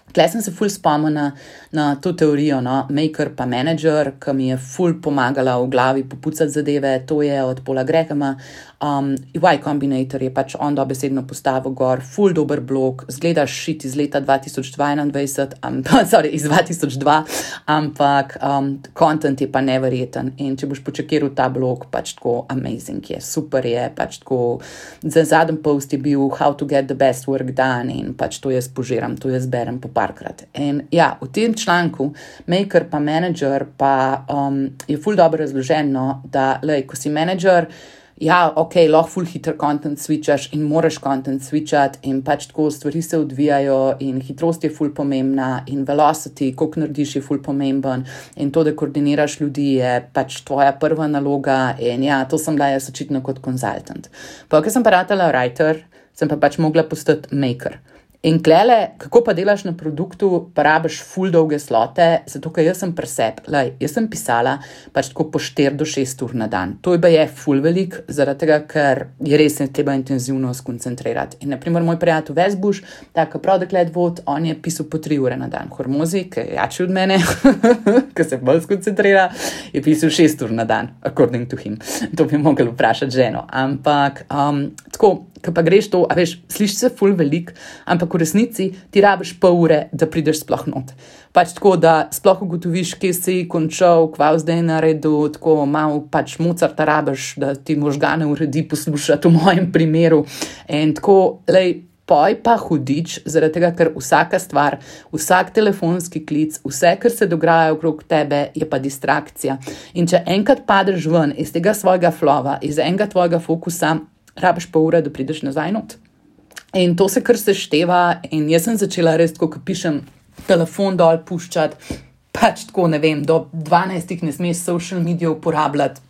A: tle sem se ful spomnila na to teorijo, no, maker pa manager, ki mi je ful pomagala v glavi popucati zadeve, to je od Paula Grahama. Um, Y Combinator je pač on dobesedno postavil gor, ful dober blog, zgleda shit iz leta dva tisoč dvaindvajset, um, sorry, iz dva tisoč dva, ampak um, content je pa neverjeten in če boš počekiral ta blog, pač tako amazing je, super je, pač tako, za zadnji post je bil how to get the best work done in pač to jaz požiram, to jaz berem po parkrat. In ja, v tem članku maker pa manager pa um, je ful dobro razloženo, da lej, ko si manager, ja, ok, lahko ful hiter content switchaš in moraš content switchati in pač tako stvari se odvijajo in hitrost je ful pomembna in velocity, koliko narediš je ful pomemben in to, da koordiniraš ljudi je pač tvoja prva naloga in ja, to sem bila jaz očitno kot konzultant. Pa, ker sem pa ratala writer, sem pa pač mogla postati maker. In klele, kako pa delaš na produktu, pa rabiš ful dolge slote, zato ker jaz sem presep. Lej, jaz sem pisala pač tako po štiri do šest ur na dan. To je ful velik, zaradi tega, ker je res ne treba intenzivno skoncentrirati. In naprimer moj prijatelj Vesbuš, tako Product Led Vod, on je pisal po tri ure na dan. Hormozi, ki je jači od mene, ki se bolj skoncentrira, je pisal šest ur na dan, according to him. To bi mogel vprašati ženo. Ampak, um, tako, ko pa greš to, a veš, sliši se ful velik, ampak v resnici ti rabiš pol ure, da prideš sploh not. Pač tako, da sploh ugotoviš, kje si končal, kva zdaj naredil, tako malo pač Mozarta rabiš, da ti možgane uredi poslušati v mojem primeru. In tako, lej, poj pa hudič, zaradi tega, ker vsaka stvar, vsak telefonski klic, vse, kar se dogaja okrog tebe, je pa distrakcija. In če enkrat padeš ven iz tega svojega flova, iz enega tvojega fokusa, rabiš pa ure, da prideš nazaj not. In to se kar sešteva in jaz sem začela res tako, ko pišem telefon dol puščati, pač tako, ne vem, do dvanajstih ne smeš social media uporabljati.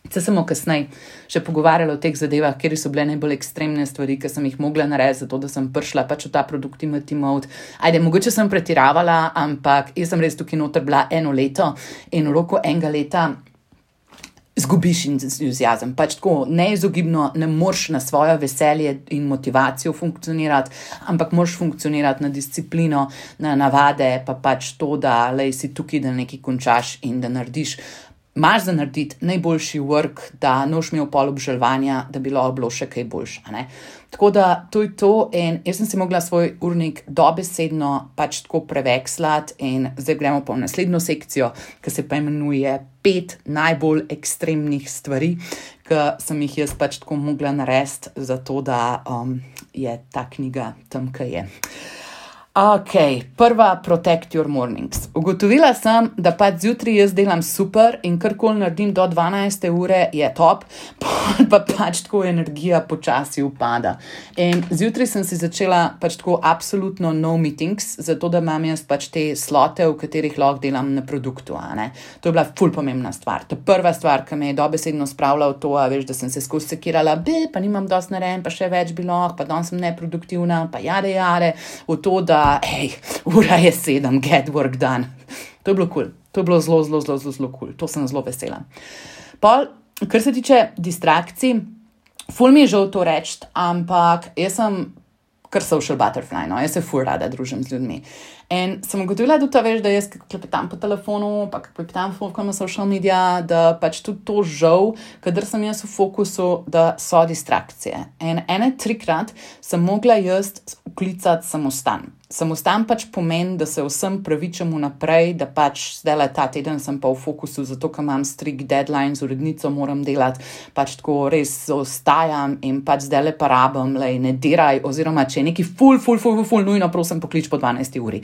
A: Se samo kasneje še pogovarjala o teh zadevah, kjer so bile najbolj ekstremne stvari, ki sem jih mogla narediti, zato da sem prišla pač v ta productivity mode. Ajde, mogoče sem pretiravala, ampak jaz sem res tukaj noter bila eno leto in v roku enega leta zgubiš entuziazem. Pač tako neizogibno ne moreš na svojo veselje in motivacijo funkcionirati, ampak moraš funkcionirati na disciplino, na navade, pa pač to, da lej, si tukaj, da nekaj končaš in da narediš. Imaš za narediti najboljši work, da ne boš imel pol obžalovanja, da bi lahko bilo še kaj boljše. Ne? Tako da to je to in jaz sem si mogla svoj urnik dobesedno pač tako prevekslati in zdaj gremo pa v naslednjo sekcijo, ki se pa imenuje pet najbolj ekstremnih stvari, ki sem jih jaz pač tako mogla narediti, zato da um, je ta knjiga tam, kaj je. Ok, prva Protect Your Mornings. Ugotovila sem, da pač zjutraj jaz delam super in karkoli naredim do dvanajste ure je top, pa pač tako energija počasi upada. In zjutraj sem si začela pač tako absolutno no meetings, zato da imam jaz pač te slote, v katerih lahko delam na produktu. A ne? To je bila ful pomembna stvar. To je prva stvar, ki me je dobesedno spravila v to, a veš, da sem se skozi sekirala, bi, pa nimam dosti narejen, pa še več bi lahko, pa danes sem neproduktivna, pa jade jade, v to, da hej, ura je sedem, get work done. To je bilo cool. To je bilo zelo, zelo, zelo, zelo cool. To sem zelo vesela. Pol, kar se tiče distrakcij, ful mi je žal to reči, ampak jaz sem kar social butterfly, no, jaz se ful rada družim z ljudmi. In sem ugotovila tudi to, veš, da jaz klepetam po telefonu, pa klepetam na social media, da pač tudi to žal, kadar sem jaz v fokusu, da so distrakcije. In ene trikrat sem mogla jaz vklicati samostan. Samostan pač pomeni, da se vsem pravičam vnaprej, da pač zdaj ta teden sem pa v fokusu, zato ker imam strict deadline, z urednico moram delati, pač tako res ostajam in pač zdaj le pa rabim, lej, ne diraj, oziroma če je neki ful, ful, ful, ful, ful, nujno prosim poklič po dvanajsti uri.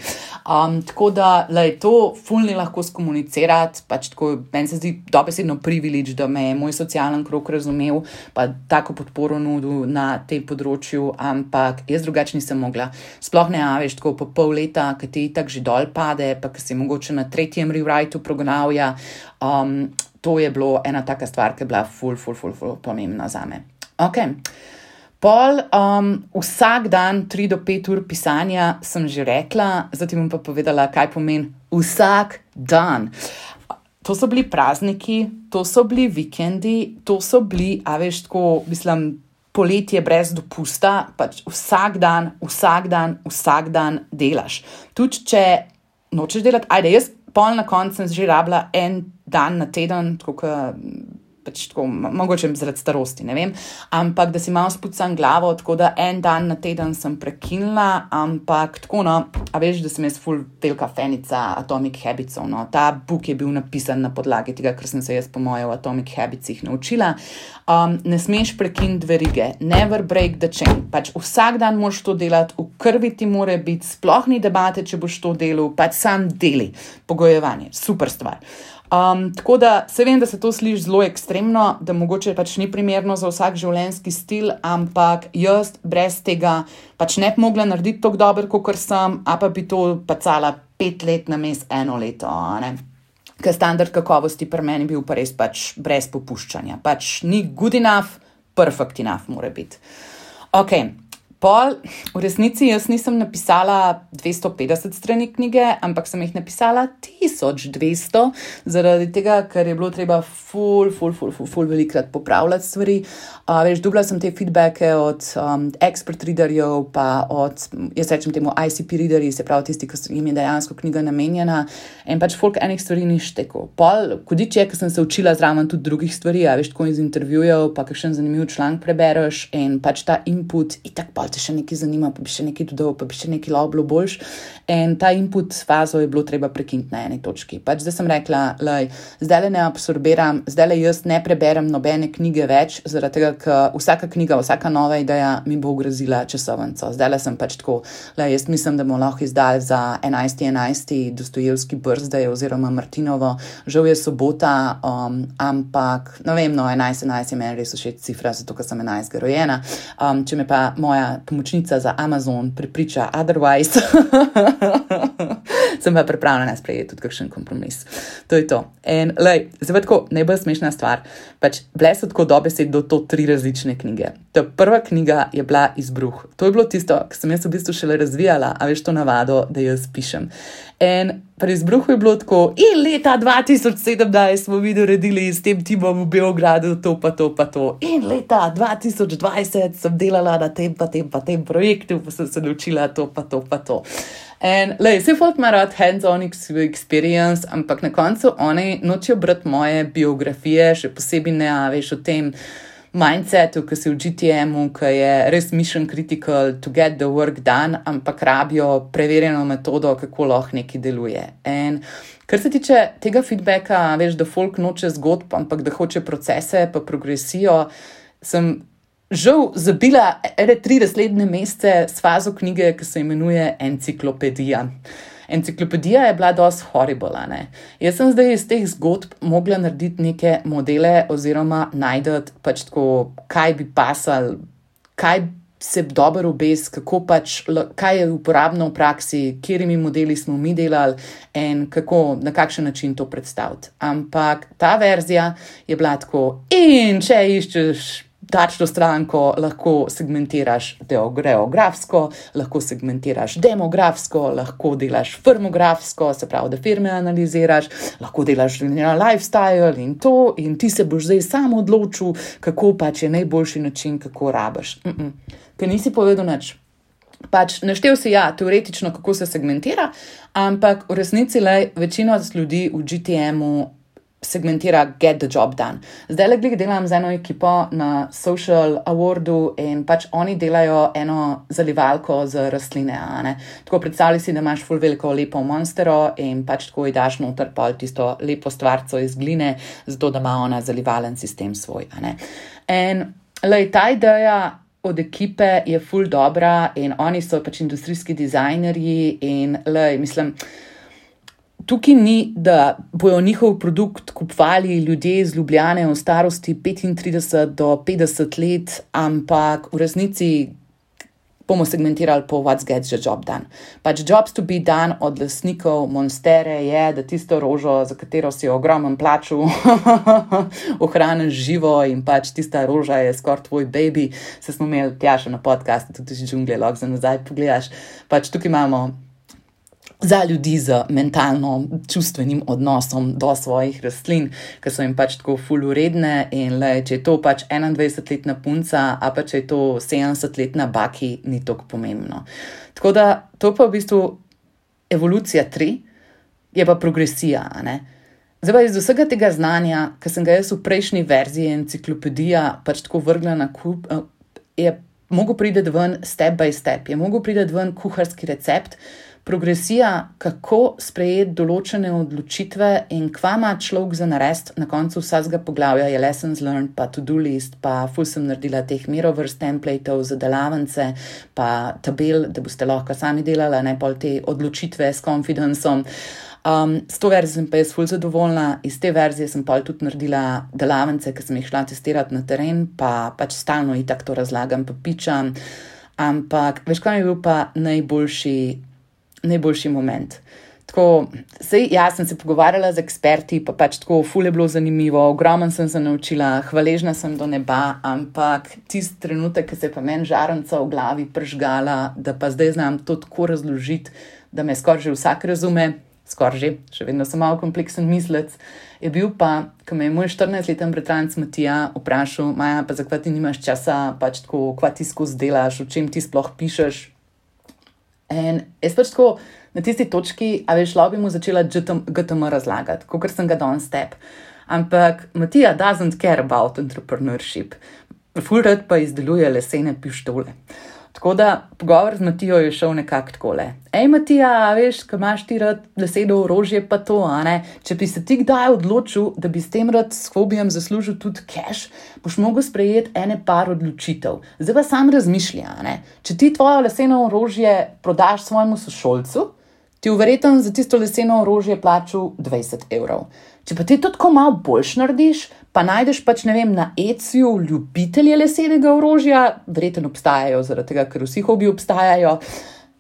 A: Um, tako da, lej, to ful ni lahko skomunicirati, pač tako, meni se zdi dobesedno privilež, da me je moj socialen krog razumel, pa tako podporo nudil na tem področju, ampak jaz drugače nisem mogla. Sploh ne, veš, tako po pol leta, ki ti itak že dol pade, pa ki si mogoče na tretjem rewriteu prognavja. Um, to je bilo ena taka stvar, ki je bila ful, ful, ful, ful pomembna zame. Ok. Pol, um, vsak dan tri do pet ur pisanja sem že rekla, zdaj ti bom pa povedala, kaj pomeni vsak dan. To so bili prazniki, to so bili vikendi, to so bili, a veš, tako, mislim, poletje brez dopusta, pač vsak dan, vsak dan, vsak dan delaš. Tudi če nočeš delati, ajde, jaz pol na koncu sem že rabila en dan na teden, tako ka, pač tako, mogoče zaradi starosti, ne vem, ampak da si malo spucam glavo, tako da en dan na teden sem prekinila, ampak tako, no, a veš, da sem jaz ful velika fenica Atomic Habitsov, no, ta book je bil napisan na podlagi tega, ker sem se jaz po moje v Atomic Habitsih naučila. Um, ne smeš prekiniti verige, never break the chain, pač vsak dan moraš to delati, v krvi ti mora biti, sploh ni debate, če boš to delal, pač sam deli, pogojevanje, super stvar. Um, tako da se vem, da se to sliši zelo ekstremno, da mogoče pač ni primerno za vsak življenjski stil, ampak jaz brez tega pač ne bi mogla narediti tako dobro, kot sem, a pa bi to pacala pet let na mes eno leto, ne? Ker standard kakovosti pri meni bil pa res pač brez popuščanja. Pač ni good enough, perfect enough mora biti. Ok, pol, v resnici jaz nisem napisala dvesto petdeset strani knjige, ampak sem jih napisala tisoč dvesto, zaradi tega, ker je bilo treba ful, ful, ful, ful, ful velikrat popravljati stvari. Uh, veš, dobila sem te feedbacke od um, expert readerjev, pa od, jaz rečem temu I C P readerji, se pravi tisti, ki jim je dejansko knjiga namenjena, in pač folk enih stvari ni štekal. Pol, kodič je, ker sem se učila zraven tudi drugih stvari, a veš, tako iz intervjujev, pa kakšen zanimiv članek prebereš in pač ta input, itak pa te še nekaj zanima, pa bi še nekaj dodal, pa bi še nekaj lahko boljš. In ta input fazo je bilo treba prekiniti na eni točki. Pač zdaj sem rekla, lej, zdaj le ne absorbiram, zdaj le jaz ne preberem nobene knjige več, zaradi tega, ker vsaka knjiga, vsaka nova ideja mi bo ogrozila časovnico. Zdaj le sem pač tako, lej, jaz mislim, da bomo lahko izdali za enajsti enajsti Dostojevski birthday oziroma Martinovo. Žal je sobota, um, ampak, ne vem, no, enajsti enajsti je meni res všeč cifra, zato ker sem enajstega rojena. Um, če me pa moja pomočnica za Amazon prepriča otherwise, sem pa pripravljena sprejeti tudi kakšen kompromis. To je to. In lej, zdaj tako, najbolj smešna stvar, pač bile so tako dobesedno do to tri različne knjige. Ta prva knjiga je bila Izbruh. To je bilo tisto, ki sem jaz v bistvu šele razvijala, a veš to navado, da jaz pišem. In pri Izbruhu je bilo tako, in leta dva tisoč sedemnajst smo mi naredili s tem timom v Beogradu to pa to pa to. In leta dva tisoč dvajset sem delala na tem pa tem pa tem projektu, pa sem se naučila to pa to pa to. In lej, vse folk ima rad hands-on experience, ampak na koncu oni nočejo brati moje biografije, še posebej ne, a veš o tem mindsetu, ki si v G T M-u, ki je res mission critical to get the work done, ampak rabijo preverjeno metodo, kako lahko nekaj deluje. In kar se tiče tega feedbacka, veš, da folk noče zgodb, ampak da hoče procese pa progresijo, sem žal zabila ene tri naslednje mesece s fazo knjige, ki se imenuje Enciklopedija. Enciklopedija je bila dosti horrible, ne. Jaz sem zdaj iz teh zgodb mogla narediti neke modele oziroma najdeti pač tako, kaj bi pasal, kaj se dobro obes, kako pač, kaj je uporabno v praksi, katerimi modeli smo mi delali in kako, na kakšen način to predstaviti. Ampak ta verzija je bila tako, in če iščeš tačno stranko, lahko segmentiraš geografsko, lahko segmentiraš demografsko, lahko delaš firmografsko, se pravi, da firme analiziraš, lahko delaš lifestyle in to, in ti se boš zdaj sam odločil, kako pač je najboljši način, kako rabiš. Mm-mm. Ker nisi povedal nič. Pač naštel si, ja, teoretično, kako se segmentira, ampak v resnici le večina ljudi v G T M-u segmentira get the job done. Zdaj le glih delam z eno ekipo na Social Awardu in pač oni delajo eno zalivalko z rastline, a ne. Tako predstavljaj si, da imaš ful veliko lepo monstero in pač tako ji daš noter pol tisto lepo stvarco iz gline, zato da ima ona zalivalen sistem svoj, a ne. In lej, ta ideja od ekipe je ful dobra in oni so pač industrijski dizajnerji in lej, mislim, tukaj ni, da bojo njihov produkt kupovali ljudje iz Ljubljane v starosti petintrideset do petdeset let, ampak v resnici bomo segmentirali po what's gets the job done. Pač jobs to be done od lastnikov Monstere je, da tisto rožo, za katero si ogromen plaču, ohraniš živo in pač tista roža je skoraj tvoj baby. Se smo imeli Tjašo na podcastu, tudi iz džungle, lahko za nazaj pogledaš. Pač tukaj imamo za ljudi z mentalno čustvenim odnosom do svojih rastlin, ki so jim pač tako ful uredne in le, če je to pač enaindvajsetletna punca, a pa če je to sedemdesetletna baki, ni toliko pomembno. Tako da to pa v bistvu evolucija tri, je pa progresija, a ne. Zdaj pa iz vsega tega znanja, ki sem ga jaz v prejšnji verziji enciklopedija pač tako vrgla na kup, je mogel priti ven step by step, je mogel priti ven kuharski recept, progresija, kako sprejeti določene odločitve in kva ima človek za narediti na koncu vsakega poglavja je lessons learned, pa to-do list, pa ful sem naredila teh merovrst templateov za delavnice, pa tabel, da boste lahko sami delali, ne pol te odločitve s confidenceom. Um, s to verzijo sem pa jaz ful zadovoljna, iz te verzije sem pol tudi naredila delavnice, ki sem jih šla testirati na teren, pa pač stalno itak to razlagam, pa pičam, ampak veš, kaj mi je bil pa najboljši najboljši moment. Tako tako, sej, ja, sem se pogovarjala z eksperti, pa pač tako, ful je bilo zanimivo, ogromno sem se naučila, hvaležna sem do neba, ampak tisti trenutek, ki se je pa meni žarenca v glavi pržgala, da pa zdaj znam to tako razložiti, da me skoraj že vsak razume, skoraj že, še vedno sem malo kompleksen mislec, je bil pa, ko me je moj štirinajstleten bratranec Matija vprašal, Maja, pa zakaj ti nimaš časa, pač tako, kva ti skozi delaš, o čem ti sploh pišeš. In jaz pač tako, na tisti točki, a veš, lahko bi mu začela G T M razlagati, kakor sem ga danes step. Ampak Matija doesn't care about entrepreneurship. Ful rad pa izdeluje lesene pištole. Tako da pogovor z Matijo je šel nekako takole. Ej, Matija, veš, ko imaš ti rad leseno orožje pa to, a ne? Če bi se ti kdaj odločil, da bi s tem rad s hobijem zaslužil tudi cash, boš mogel sprejeti ene par odločitev. Zdaj pa sam razmišlja, a ne? Če ti tvoje leseno orožje prodaš svojemu sošolcu, ti verjetno za tisto leseno orožje plačal dvajset evrov. Če pa ti to tako malo boljš narediš, pa najdeš pač, ne vem, na Etsyju ljubitelje lesenega orožja, verjetno obstajajo, zaradi tega, ker vsi hobi obstajajo,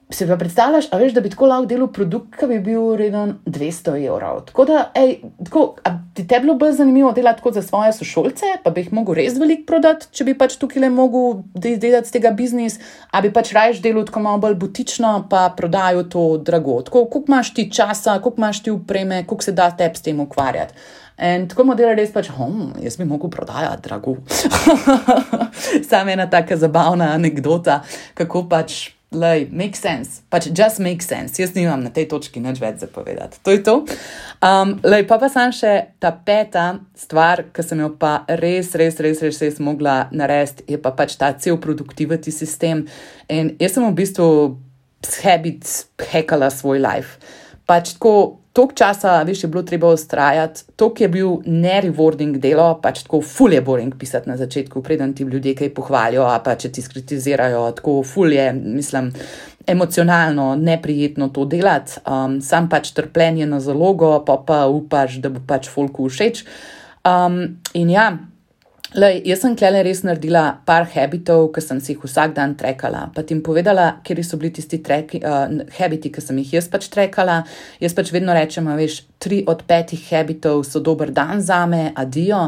A: se pa predstavljaš, a veš, da bi tako lahko delal produkt, ki bi bil vreden dvesto evrov. Tako da, ej, tako, a ti te bilo bolj zanimivo delati tako za svoje sošolce, pa bi jih mogel res veliko prodati, če bi pač tukaj le mogel delati z tega biznis, a bi pač rajš delal tako malo bolj butično, pa prodajo to drago. Tako, koliko imaš ti časa, koliko imaš ti upreme, koliko se da tebi s tem ukvarjati. In tako model res pač, hm, jaz bi mogel prodajati drago. Sam ena taka zabavna anekdota, kako pač, lej, make sense, pač just make sense. Jaz nimam na tej točki nič več zapovedati. To je to. Um, lej, pa pa sam še ta peta stvar, ki sem jo pa res, res, res, res, res mogla narediti, je pa pač ta cel productivity sistem. In jaz sem v bistvu s habits hackala svoj life. Pač tako, toliko časa, veš, je bilo treba ustrajati, toliko je bil ne-rewarding delo, pač tako ful je boring pisati na začetku, preden ti ljudje kaj pohvalijo, a pa če ti skritizirajo, tako ful je, mislim, emocionalno neprijetno to delati, um, sam pač trpljenje na zalogo, pa pa upaš, da bo pač folku všeč. Um, in ja, lej, jaz sem klele res naredila par habitov, ki sem si jih vsak dan trekala, pa ti jim povedala, kjer so bili tisti treki, uh, habiti, ki sem jih jaz pač trekala. Jaz pač vedno rečem, a veš, tri od petih habitov so dober dan zame, adijo.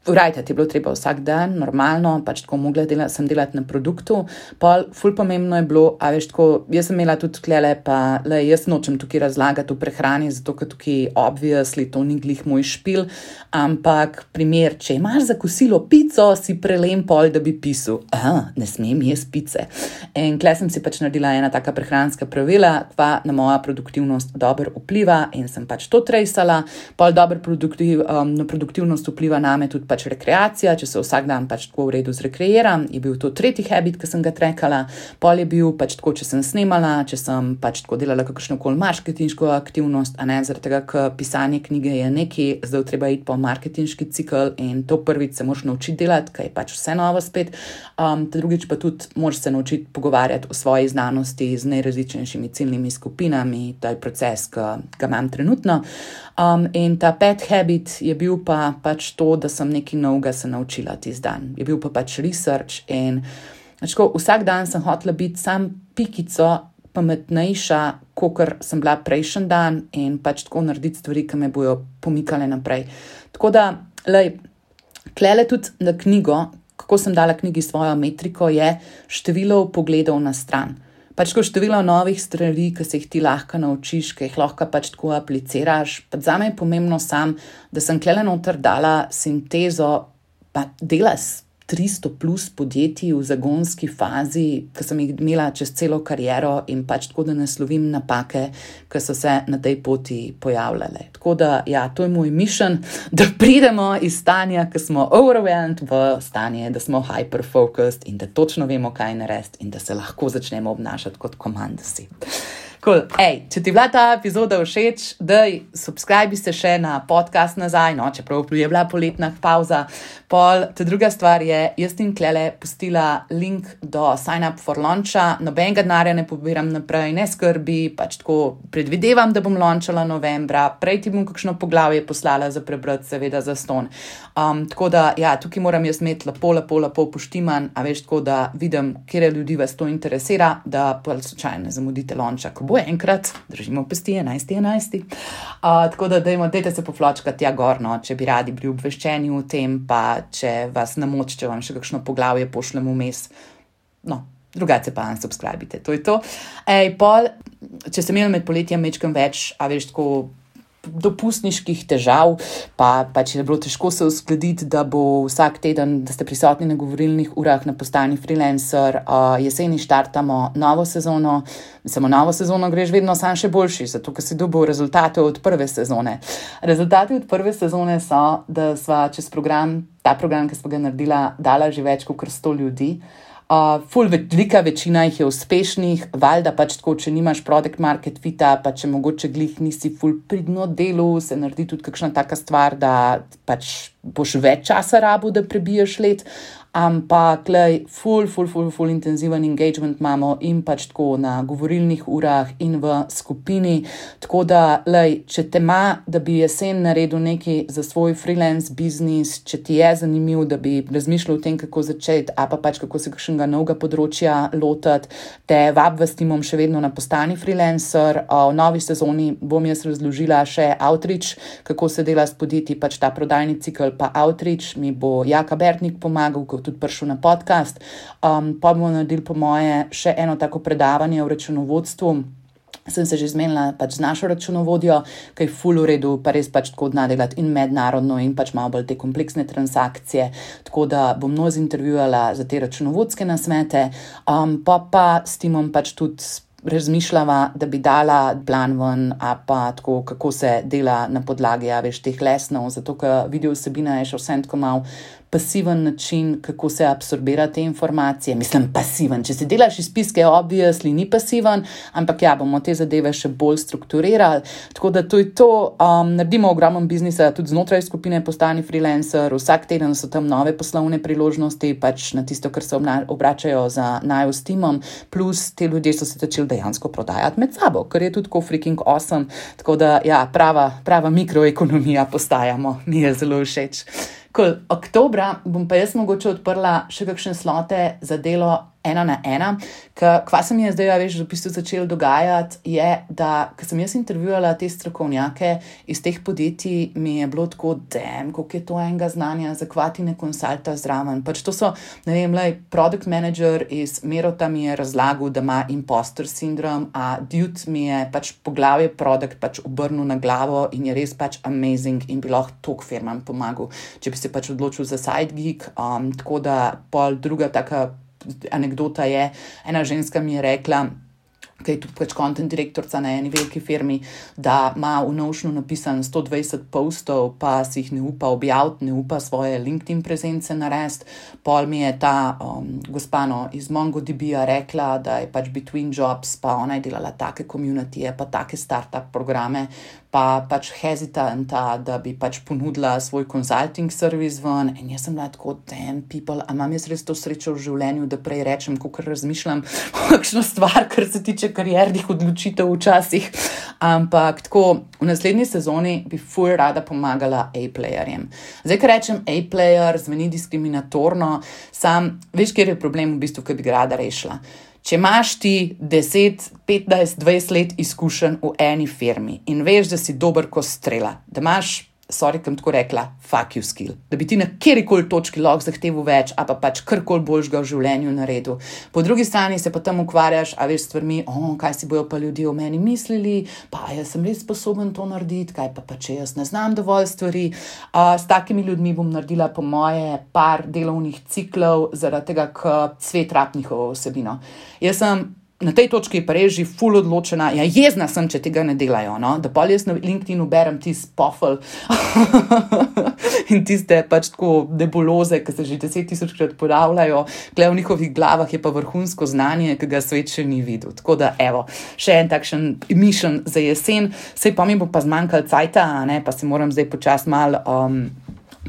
A: Urajte, ti je bilo treba vsak dan, normalno, pač tako mogla dela, sem delati na produktu. Pol, ful pomembno je bilo, a veš, tako, jaz sem imela tudi klele, pa le, jaz nočem tukaj razlagati o prehrani, zato ker tukaj obviously to ni glih moj špil, ampak primer, če imaš za kosilo pico, si prelem pol, da bi pisal, aha, ne smem jesti pice. In kle sem si pač naredila ena taka prehranska pravila, kva na moja produktivnost dobro vpliva in sem pač to trejsala, pol dobro produktiv, um, na produktivnost vpliva name tudi pač rekreacija, če se vsak dan pač tako v redu zrekreiram, je bil to tretji habit, ki sem ga trekala, pol je bil pač tako, če sem snemala, če sem pač tako delala kakšnokoli marketinško aktivnost, a ne, zaradi tega, ker pisanje knjige je nekaj, zdaj treba iti po marketinški cikl in to prvič se moraš naučiti delati, ker je pač vse novo spet, um, drugič pa tudi moraš se naučiti pogovarjati o svoji znanosti z najrazličnejšimi ciljnimi skupinami, to je proces, ki ga imam trenutno. Um, in ta pet habit je bil pa pač to, da sem nekaj novega se naučila tisti dan. Je bil pa pač research in tako, vsak dan sem hotela biti sam pikico pametnejša, kakor sem bila prejšnji dan in pač tako narediti stvari, ki me bojo pomikale naprej. Tako da, lej, klele tudi na knjigo, kako sem dala knjigi svojo metriko, je število pogledov na stran. Pač ko število novih stvari, ki se jih ti lahko naučiš, ki jih lahko pač tako apliciraš. Pa zame je pomembno sam, da sem klele noter dala sintezo pa dela s tristo plus podjetij v zagonski fazi, ki sem jih imela čez celo kariero in pač tako, da naslovim napake, ki so se na tej poti pojavljale. Tako da, ja, to je moj mission, da pridemo iz stanja, ki smo overwhelmed, v stanje, da smo hyper-focused in da točno vemo, kaj narediti in da se lahko začnemo obnašati kot komandasi. Cool. Ej, če ti bila ta epizoda všeč, daj, subscribi se še na podcast nazaj, no, čeprav je bila poletna pauza. Pol, ta druga stvar je, jaz tim klele pustila link do sign up for launcha, nobenega denarja ne pobiram naprej, ne skrbi, pač tako predvidevam, da bom launčala novembra, prej ti bom kakšno poglavje poslala za prebrati, seveda za ston. Um, tako da, ja, tukaj moram jaz imeti lepo, lepo, lepo poštiman, a veš, tako da vidim, kjer ljudi vas to interesira, da pa slučajno ne zamudite launcha, ko bo enkrat, držimo pesti, enajsti enajsti. Uh, tako da dajmo, dajte se pofločkati tja gor, no, če bi radi bili obveščeni o tem, pa če vas namoč, če vam še kakšno poglavje pošljemo vmes. No, drugače pa unsubscribite, to je to. Ej, pol, če sem imel med poletjem mečkem več, a veš, tako dopustniških težav, pa, pa če je bilo težko se uskladiti, da bo vsak teden, da ste prisotni na govorilnih urah na postani freelancer, uh, jeseni štartamo novo sezono, samo novo sezono greš vedno sam še boljši, zato ker si dobil rezultate od prve sezone. Rezultati od prve sezone so, da sva čez program, ta program, ki sva ga naredila, dala že več kot sto ljudi. Uh, ful velika večina jih je uspešnih, valjda pač tako, če nimaš product market fita, pa če mogoče glih nisi ful pridno delu, se naredi tudi kakšna taka stvar, da pač boš več časa rabu, da prebiješ let, ampak lej, ful, ful, ful, ful intenziven engagement imamo in pač tako na govorilnih urah in v skupini, tako da, lej, če te ima, da bi jesen naredil nekaj za svoj freelance biznis, če ti je zanimiv, da bi razmišljal o tem, kako začeti, a pa pač kako se kakšnega novega področja lotati, te vabim s timom še vedno na postani freelancer. V novi sezoni bom jaz razložila še outreach, kako se dela s podjetji, pač ta prodajni cikl, pa outreach, mi bo Jaka Bertnik pomagal, ko tudi prišel na podcast. Um, pa bomo naredili po moje še eno tako predavanje o računovodstvu. Sem se že zmenila pač z našo računovodjo, ki je ful v redu, pa res pač tako zna delati in mednarodno in pač malo bolj te kompleksne transakcije, tako da bom mnogo zintervjuvala za te računovodske nasvete, um, pa pa s timom pač tudi razmišljava, da bi dala plan ven, a pa tako, kako se dela na podlagi, a veš, teh lesnov, zato ker video vsebina je še vsem tako malo pasiven način, kako se absorbira te informacije. Mislim, pasiven. Če si delaš izpiske, obviously ni pasiven, ampak ja, bomo te zadeve še bolj strukturirali. Tako da to je to. Um, naredimo ogromno biznisa tudi znotraj skupine Postani freelancer. Vsak teden so tam nove poslovne priložnosti, pač na tisto, kar se obračajo za naju s timom. Plus, te ljudje so se začeli dejansko prodajati med sabo, kar je tudi tako freaking awesome. Tako da, ja, prava, prava mikroekonomija postajamo. Mi je zelo všeč. Cool. Oktobra bom pa jaz mogoče odprla še kakšne slote za delo ena na ena, ker kva se mi je zdaj, ja, veš, v bistvu začelo dogajati, je, da, ko sem jaz intervjuvala te strokovnjake iz teh podjetij, mi je bilo tako, damn, koliko je to enega znanja, za kva ti ne konsulta zraven. Pač to so, ne vem, lej, product manager iz Merota mi je razlagal, da ima imposter sindrom, a dude mi je pač poglavje product pač obrnil na glavo in je res pač amazing in bi lahko toliko firmam pomagal, če bi se pač odločil za side gig, um, tako da pol druga taka anekdota je, ena ženska mi je rekla, ki je tudi pač content direktorca na eni veliki firmi, da ima v Notionu napisan sto dvajset postov, pa si jih ne upa objaviti, ne upa svoje LinkedIn prezence narediti. Pol mi je ta um, gospano iz MongoDB-ja rekla, da je pač between jobs, pa ona je delala take communityje, pa take startup programe, pa pač hesitanta, da bi pač ponudila svoj consulting service ven. In jaz sem bila tako, damn people, a imam jaz res to srečo v življenju, da prej rečem, kakor razmišljam kakšno stvar, kar se tiče kariernih odločitev včasih. Ampak tako, v naslednji sezoni bi ful rada pomagala A-playerjem. Zdaj, ko rečem A-player, zveni diskriminatorno, sam, veš, kjer je problem v bistvu, ki bi ga rada rešila. Če imaš ti deset, petnajst, dvajset let izkušenj v eni firmi in veš, da si dober ko strela, da imaš, sorry, kam tako rekla, fuck you skill, da bi ti na kjerikoli točki lahko zahteval več, a pa pač karkoli boljšega v življenju naredil. Po drugi strani se pa tam ukvarjaš, a veš, stvarmi, oh, kaj si bojo pa ljudje o meni mislili, pa jaz sem res sposoben to narediti, kaj pa pa če jaz ne znam dovolj stvari. Uh, s takimi ljudmi bom naredila po moje par delovnih ciklov, zaradi tega, ker svet rab njihovo vsebino. Jaz sem na tej točki pa res že ful odločena, ja, jezna sem, če tega ne delajo, no, da pol jaz na LinkedInu berem tist pofel in tiste pač tako nebuloze, ki se že deset tisočkrat ponavljajo, gle v njihovih glavah je pa vrhunsko znanje, ki ga svet še ni videl. Tako da, evo, še en takšen mission za jesen, sej pa mi bo pa zmanjkal cajta, ne, pa se moram zdaj počas mal um,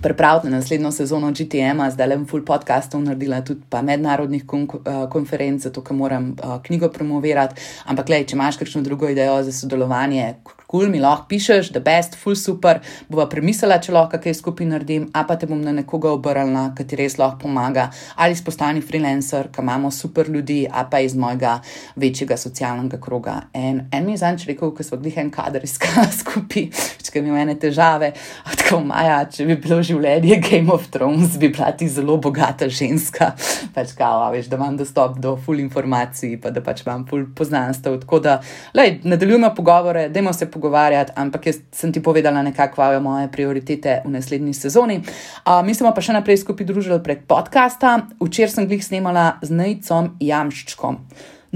A: pripraviti na naslednjo sezono G T M-a, zdaj le bom full podcastov naredila, tudi pa mednarodnih kon konferenc, zato ker moram uh, knjigo promovirati, ampak lej, če imaš kakšno drugo idejo za sodelovanje, kul, mi lahko pišeš, the best, full super, bova premislila, če lahko kaj skupaj naredim, a pa te bom na nekoga obrnila, ki ti res lahko pomaga, ali spostani freelancer, ki imamo super ljudi, a pa iz mojega večjega socialnega kroga. En, en mi je zanč rekel, ko smo glih en kader iskala skupaj, če mi imene težave, tako Maja, če bi bilo življenje Game of Thrones, bi bila ti zelo bogata ženska, pač kao, veš, da imam dostop do full informacij, pa da pač imam full poznanstev, tako da, lej, nadaljujemo pogovore, dajmo se pogovarjati, ampak jaz sem ti povedala nekako kvajo moje prioritete v naslednji sezoni. Uh, mi smo pa še naprej skupaj družili prek podcasta. Včeraj sem glih snemala z Nejcom Jamščkom.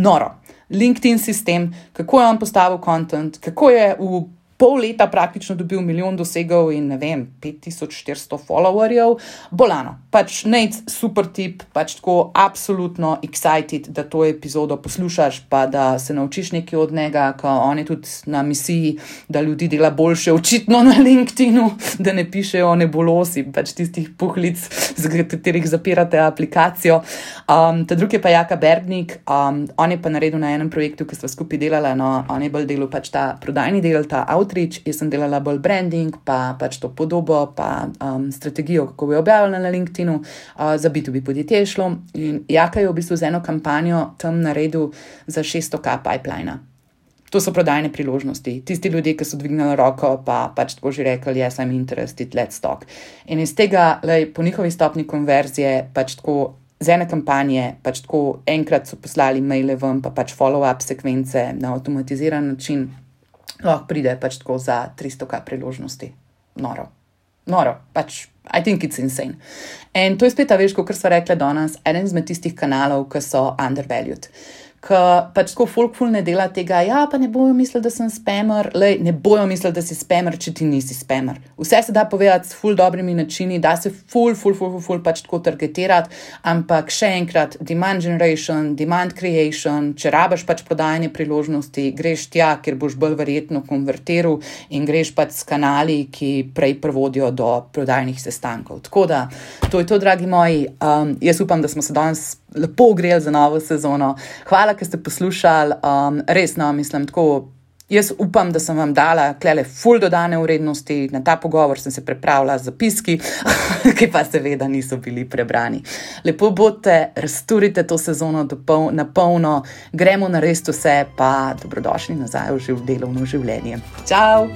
A: Noro. LinkedIn sistem, kako je on postavil content, kako je v pol leta praktično dobil milijon dosegov in ne vem, pet tisoč štiristo followerjev. Bolano. Pač Nejc, super tip, pač tako absolutno excited, da to epizodo poslušaš, pa da se naučiš nekaj od njega, ko on je tudi na misiji, da ljudi dela boljše očitno na LinkedInu, da ne pišejo nebulosi, pač tistih puhlic, z katerih zapirate aplikacijo. Um, ta drugi je pa Jaka Bergnik, um, on je pa naredil na enem projektu, ki sva skupaj delala, no, on je bolj delal pač ta prodajni del, ta outreach, jaz sem delala bolj branding, pa pač to podobo, pa um, strategijo, kako bi objavila na LinkedInu, uh, za B dva B podjetje je šlo. In Jaka je v bistvu z eno kampanjo tam naredil za šeststo tisoč pipeline. To so prodajne priložnosti. Tisti ljudje, ki so dvignili roko, pa pač tako že rekli, yes, I'm interested, let's talk. In iz tega, lej, po njihovi stopni konverzije, pač tako z ene kampanje, pač tako enkrat so poslali maile ven, pa pač follow-up sekvence na avtomatiziran način, lahko pride pač tako za tristo tisoč priložnosti. Noro. Noro. Pač, I think it's insane. In to je spet, a veš, kot sva rekla danes, eden izmed tistih kanalov, ki so undervalued. Ki pač tako folk ful ne dela tega, ja, pa ne bojo mislili, da sem spamer, lej, ne bojo mislili, da si spamer, če ti nisi spamer. Vse se da povedati s ful dobrimi načini, da se ful, ful, ful, ful, ful pač tako targetirati, ampak še enkrat, demand generation, demand creation, če rabaš pač prodajanje priložnosti, greš tja, kjer boš bolj verjetno konvertiral in greš pač s kanali, ki prej prevodijo do prodajnih sestankov. Tako da, to je to, dragi moji, um, jaz upam, da smo se danes lepo ogreli za novo sezono. Hvala, ker ste poslušali, um, resno, mislim, tako, jaz upam, da sem vam dala klele ful dodane vrednosti, na ta pogovor sem se pripravila z zapiski, ki pa seveda niso bili prebrani. Lepo bodite, razturite to sezono dopol, na polno, gremo narediti vse, pa dobrodošli nazaj v živ, delovno življenje. Čau!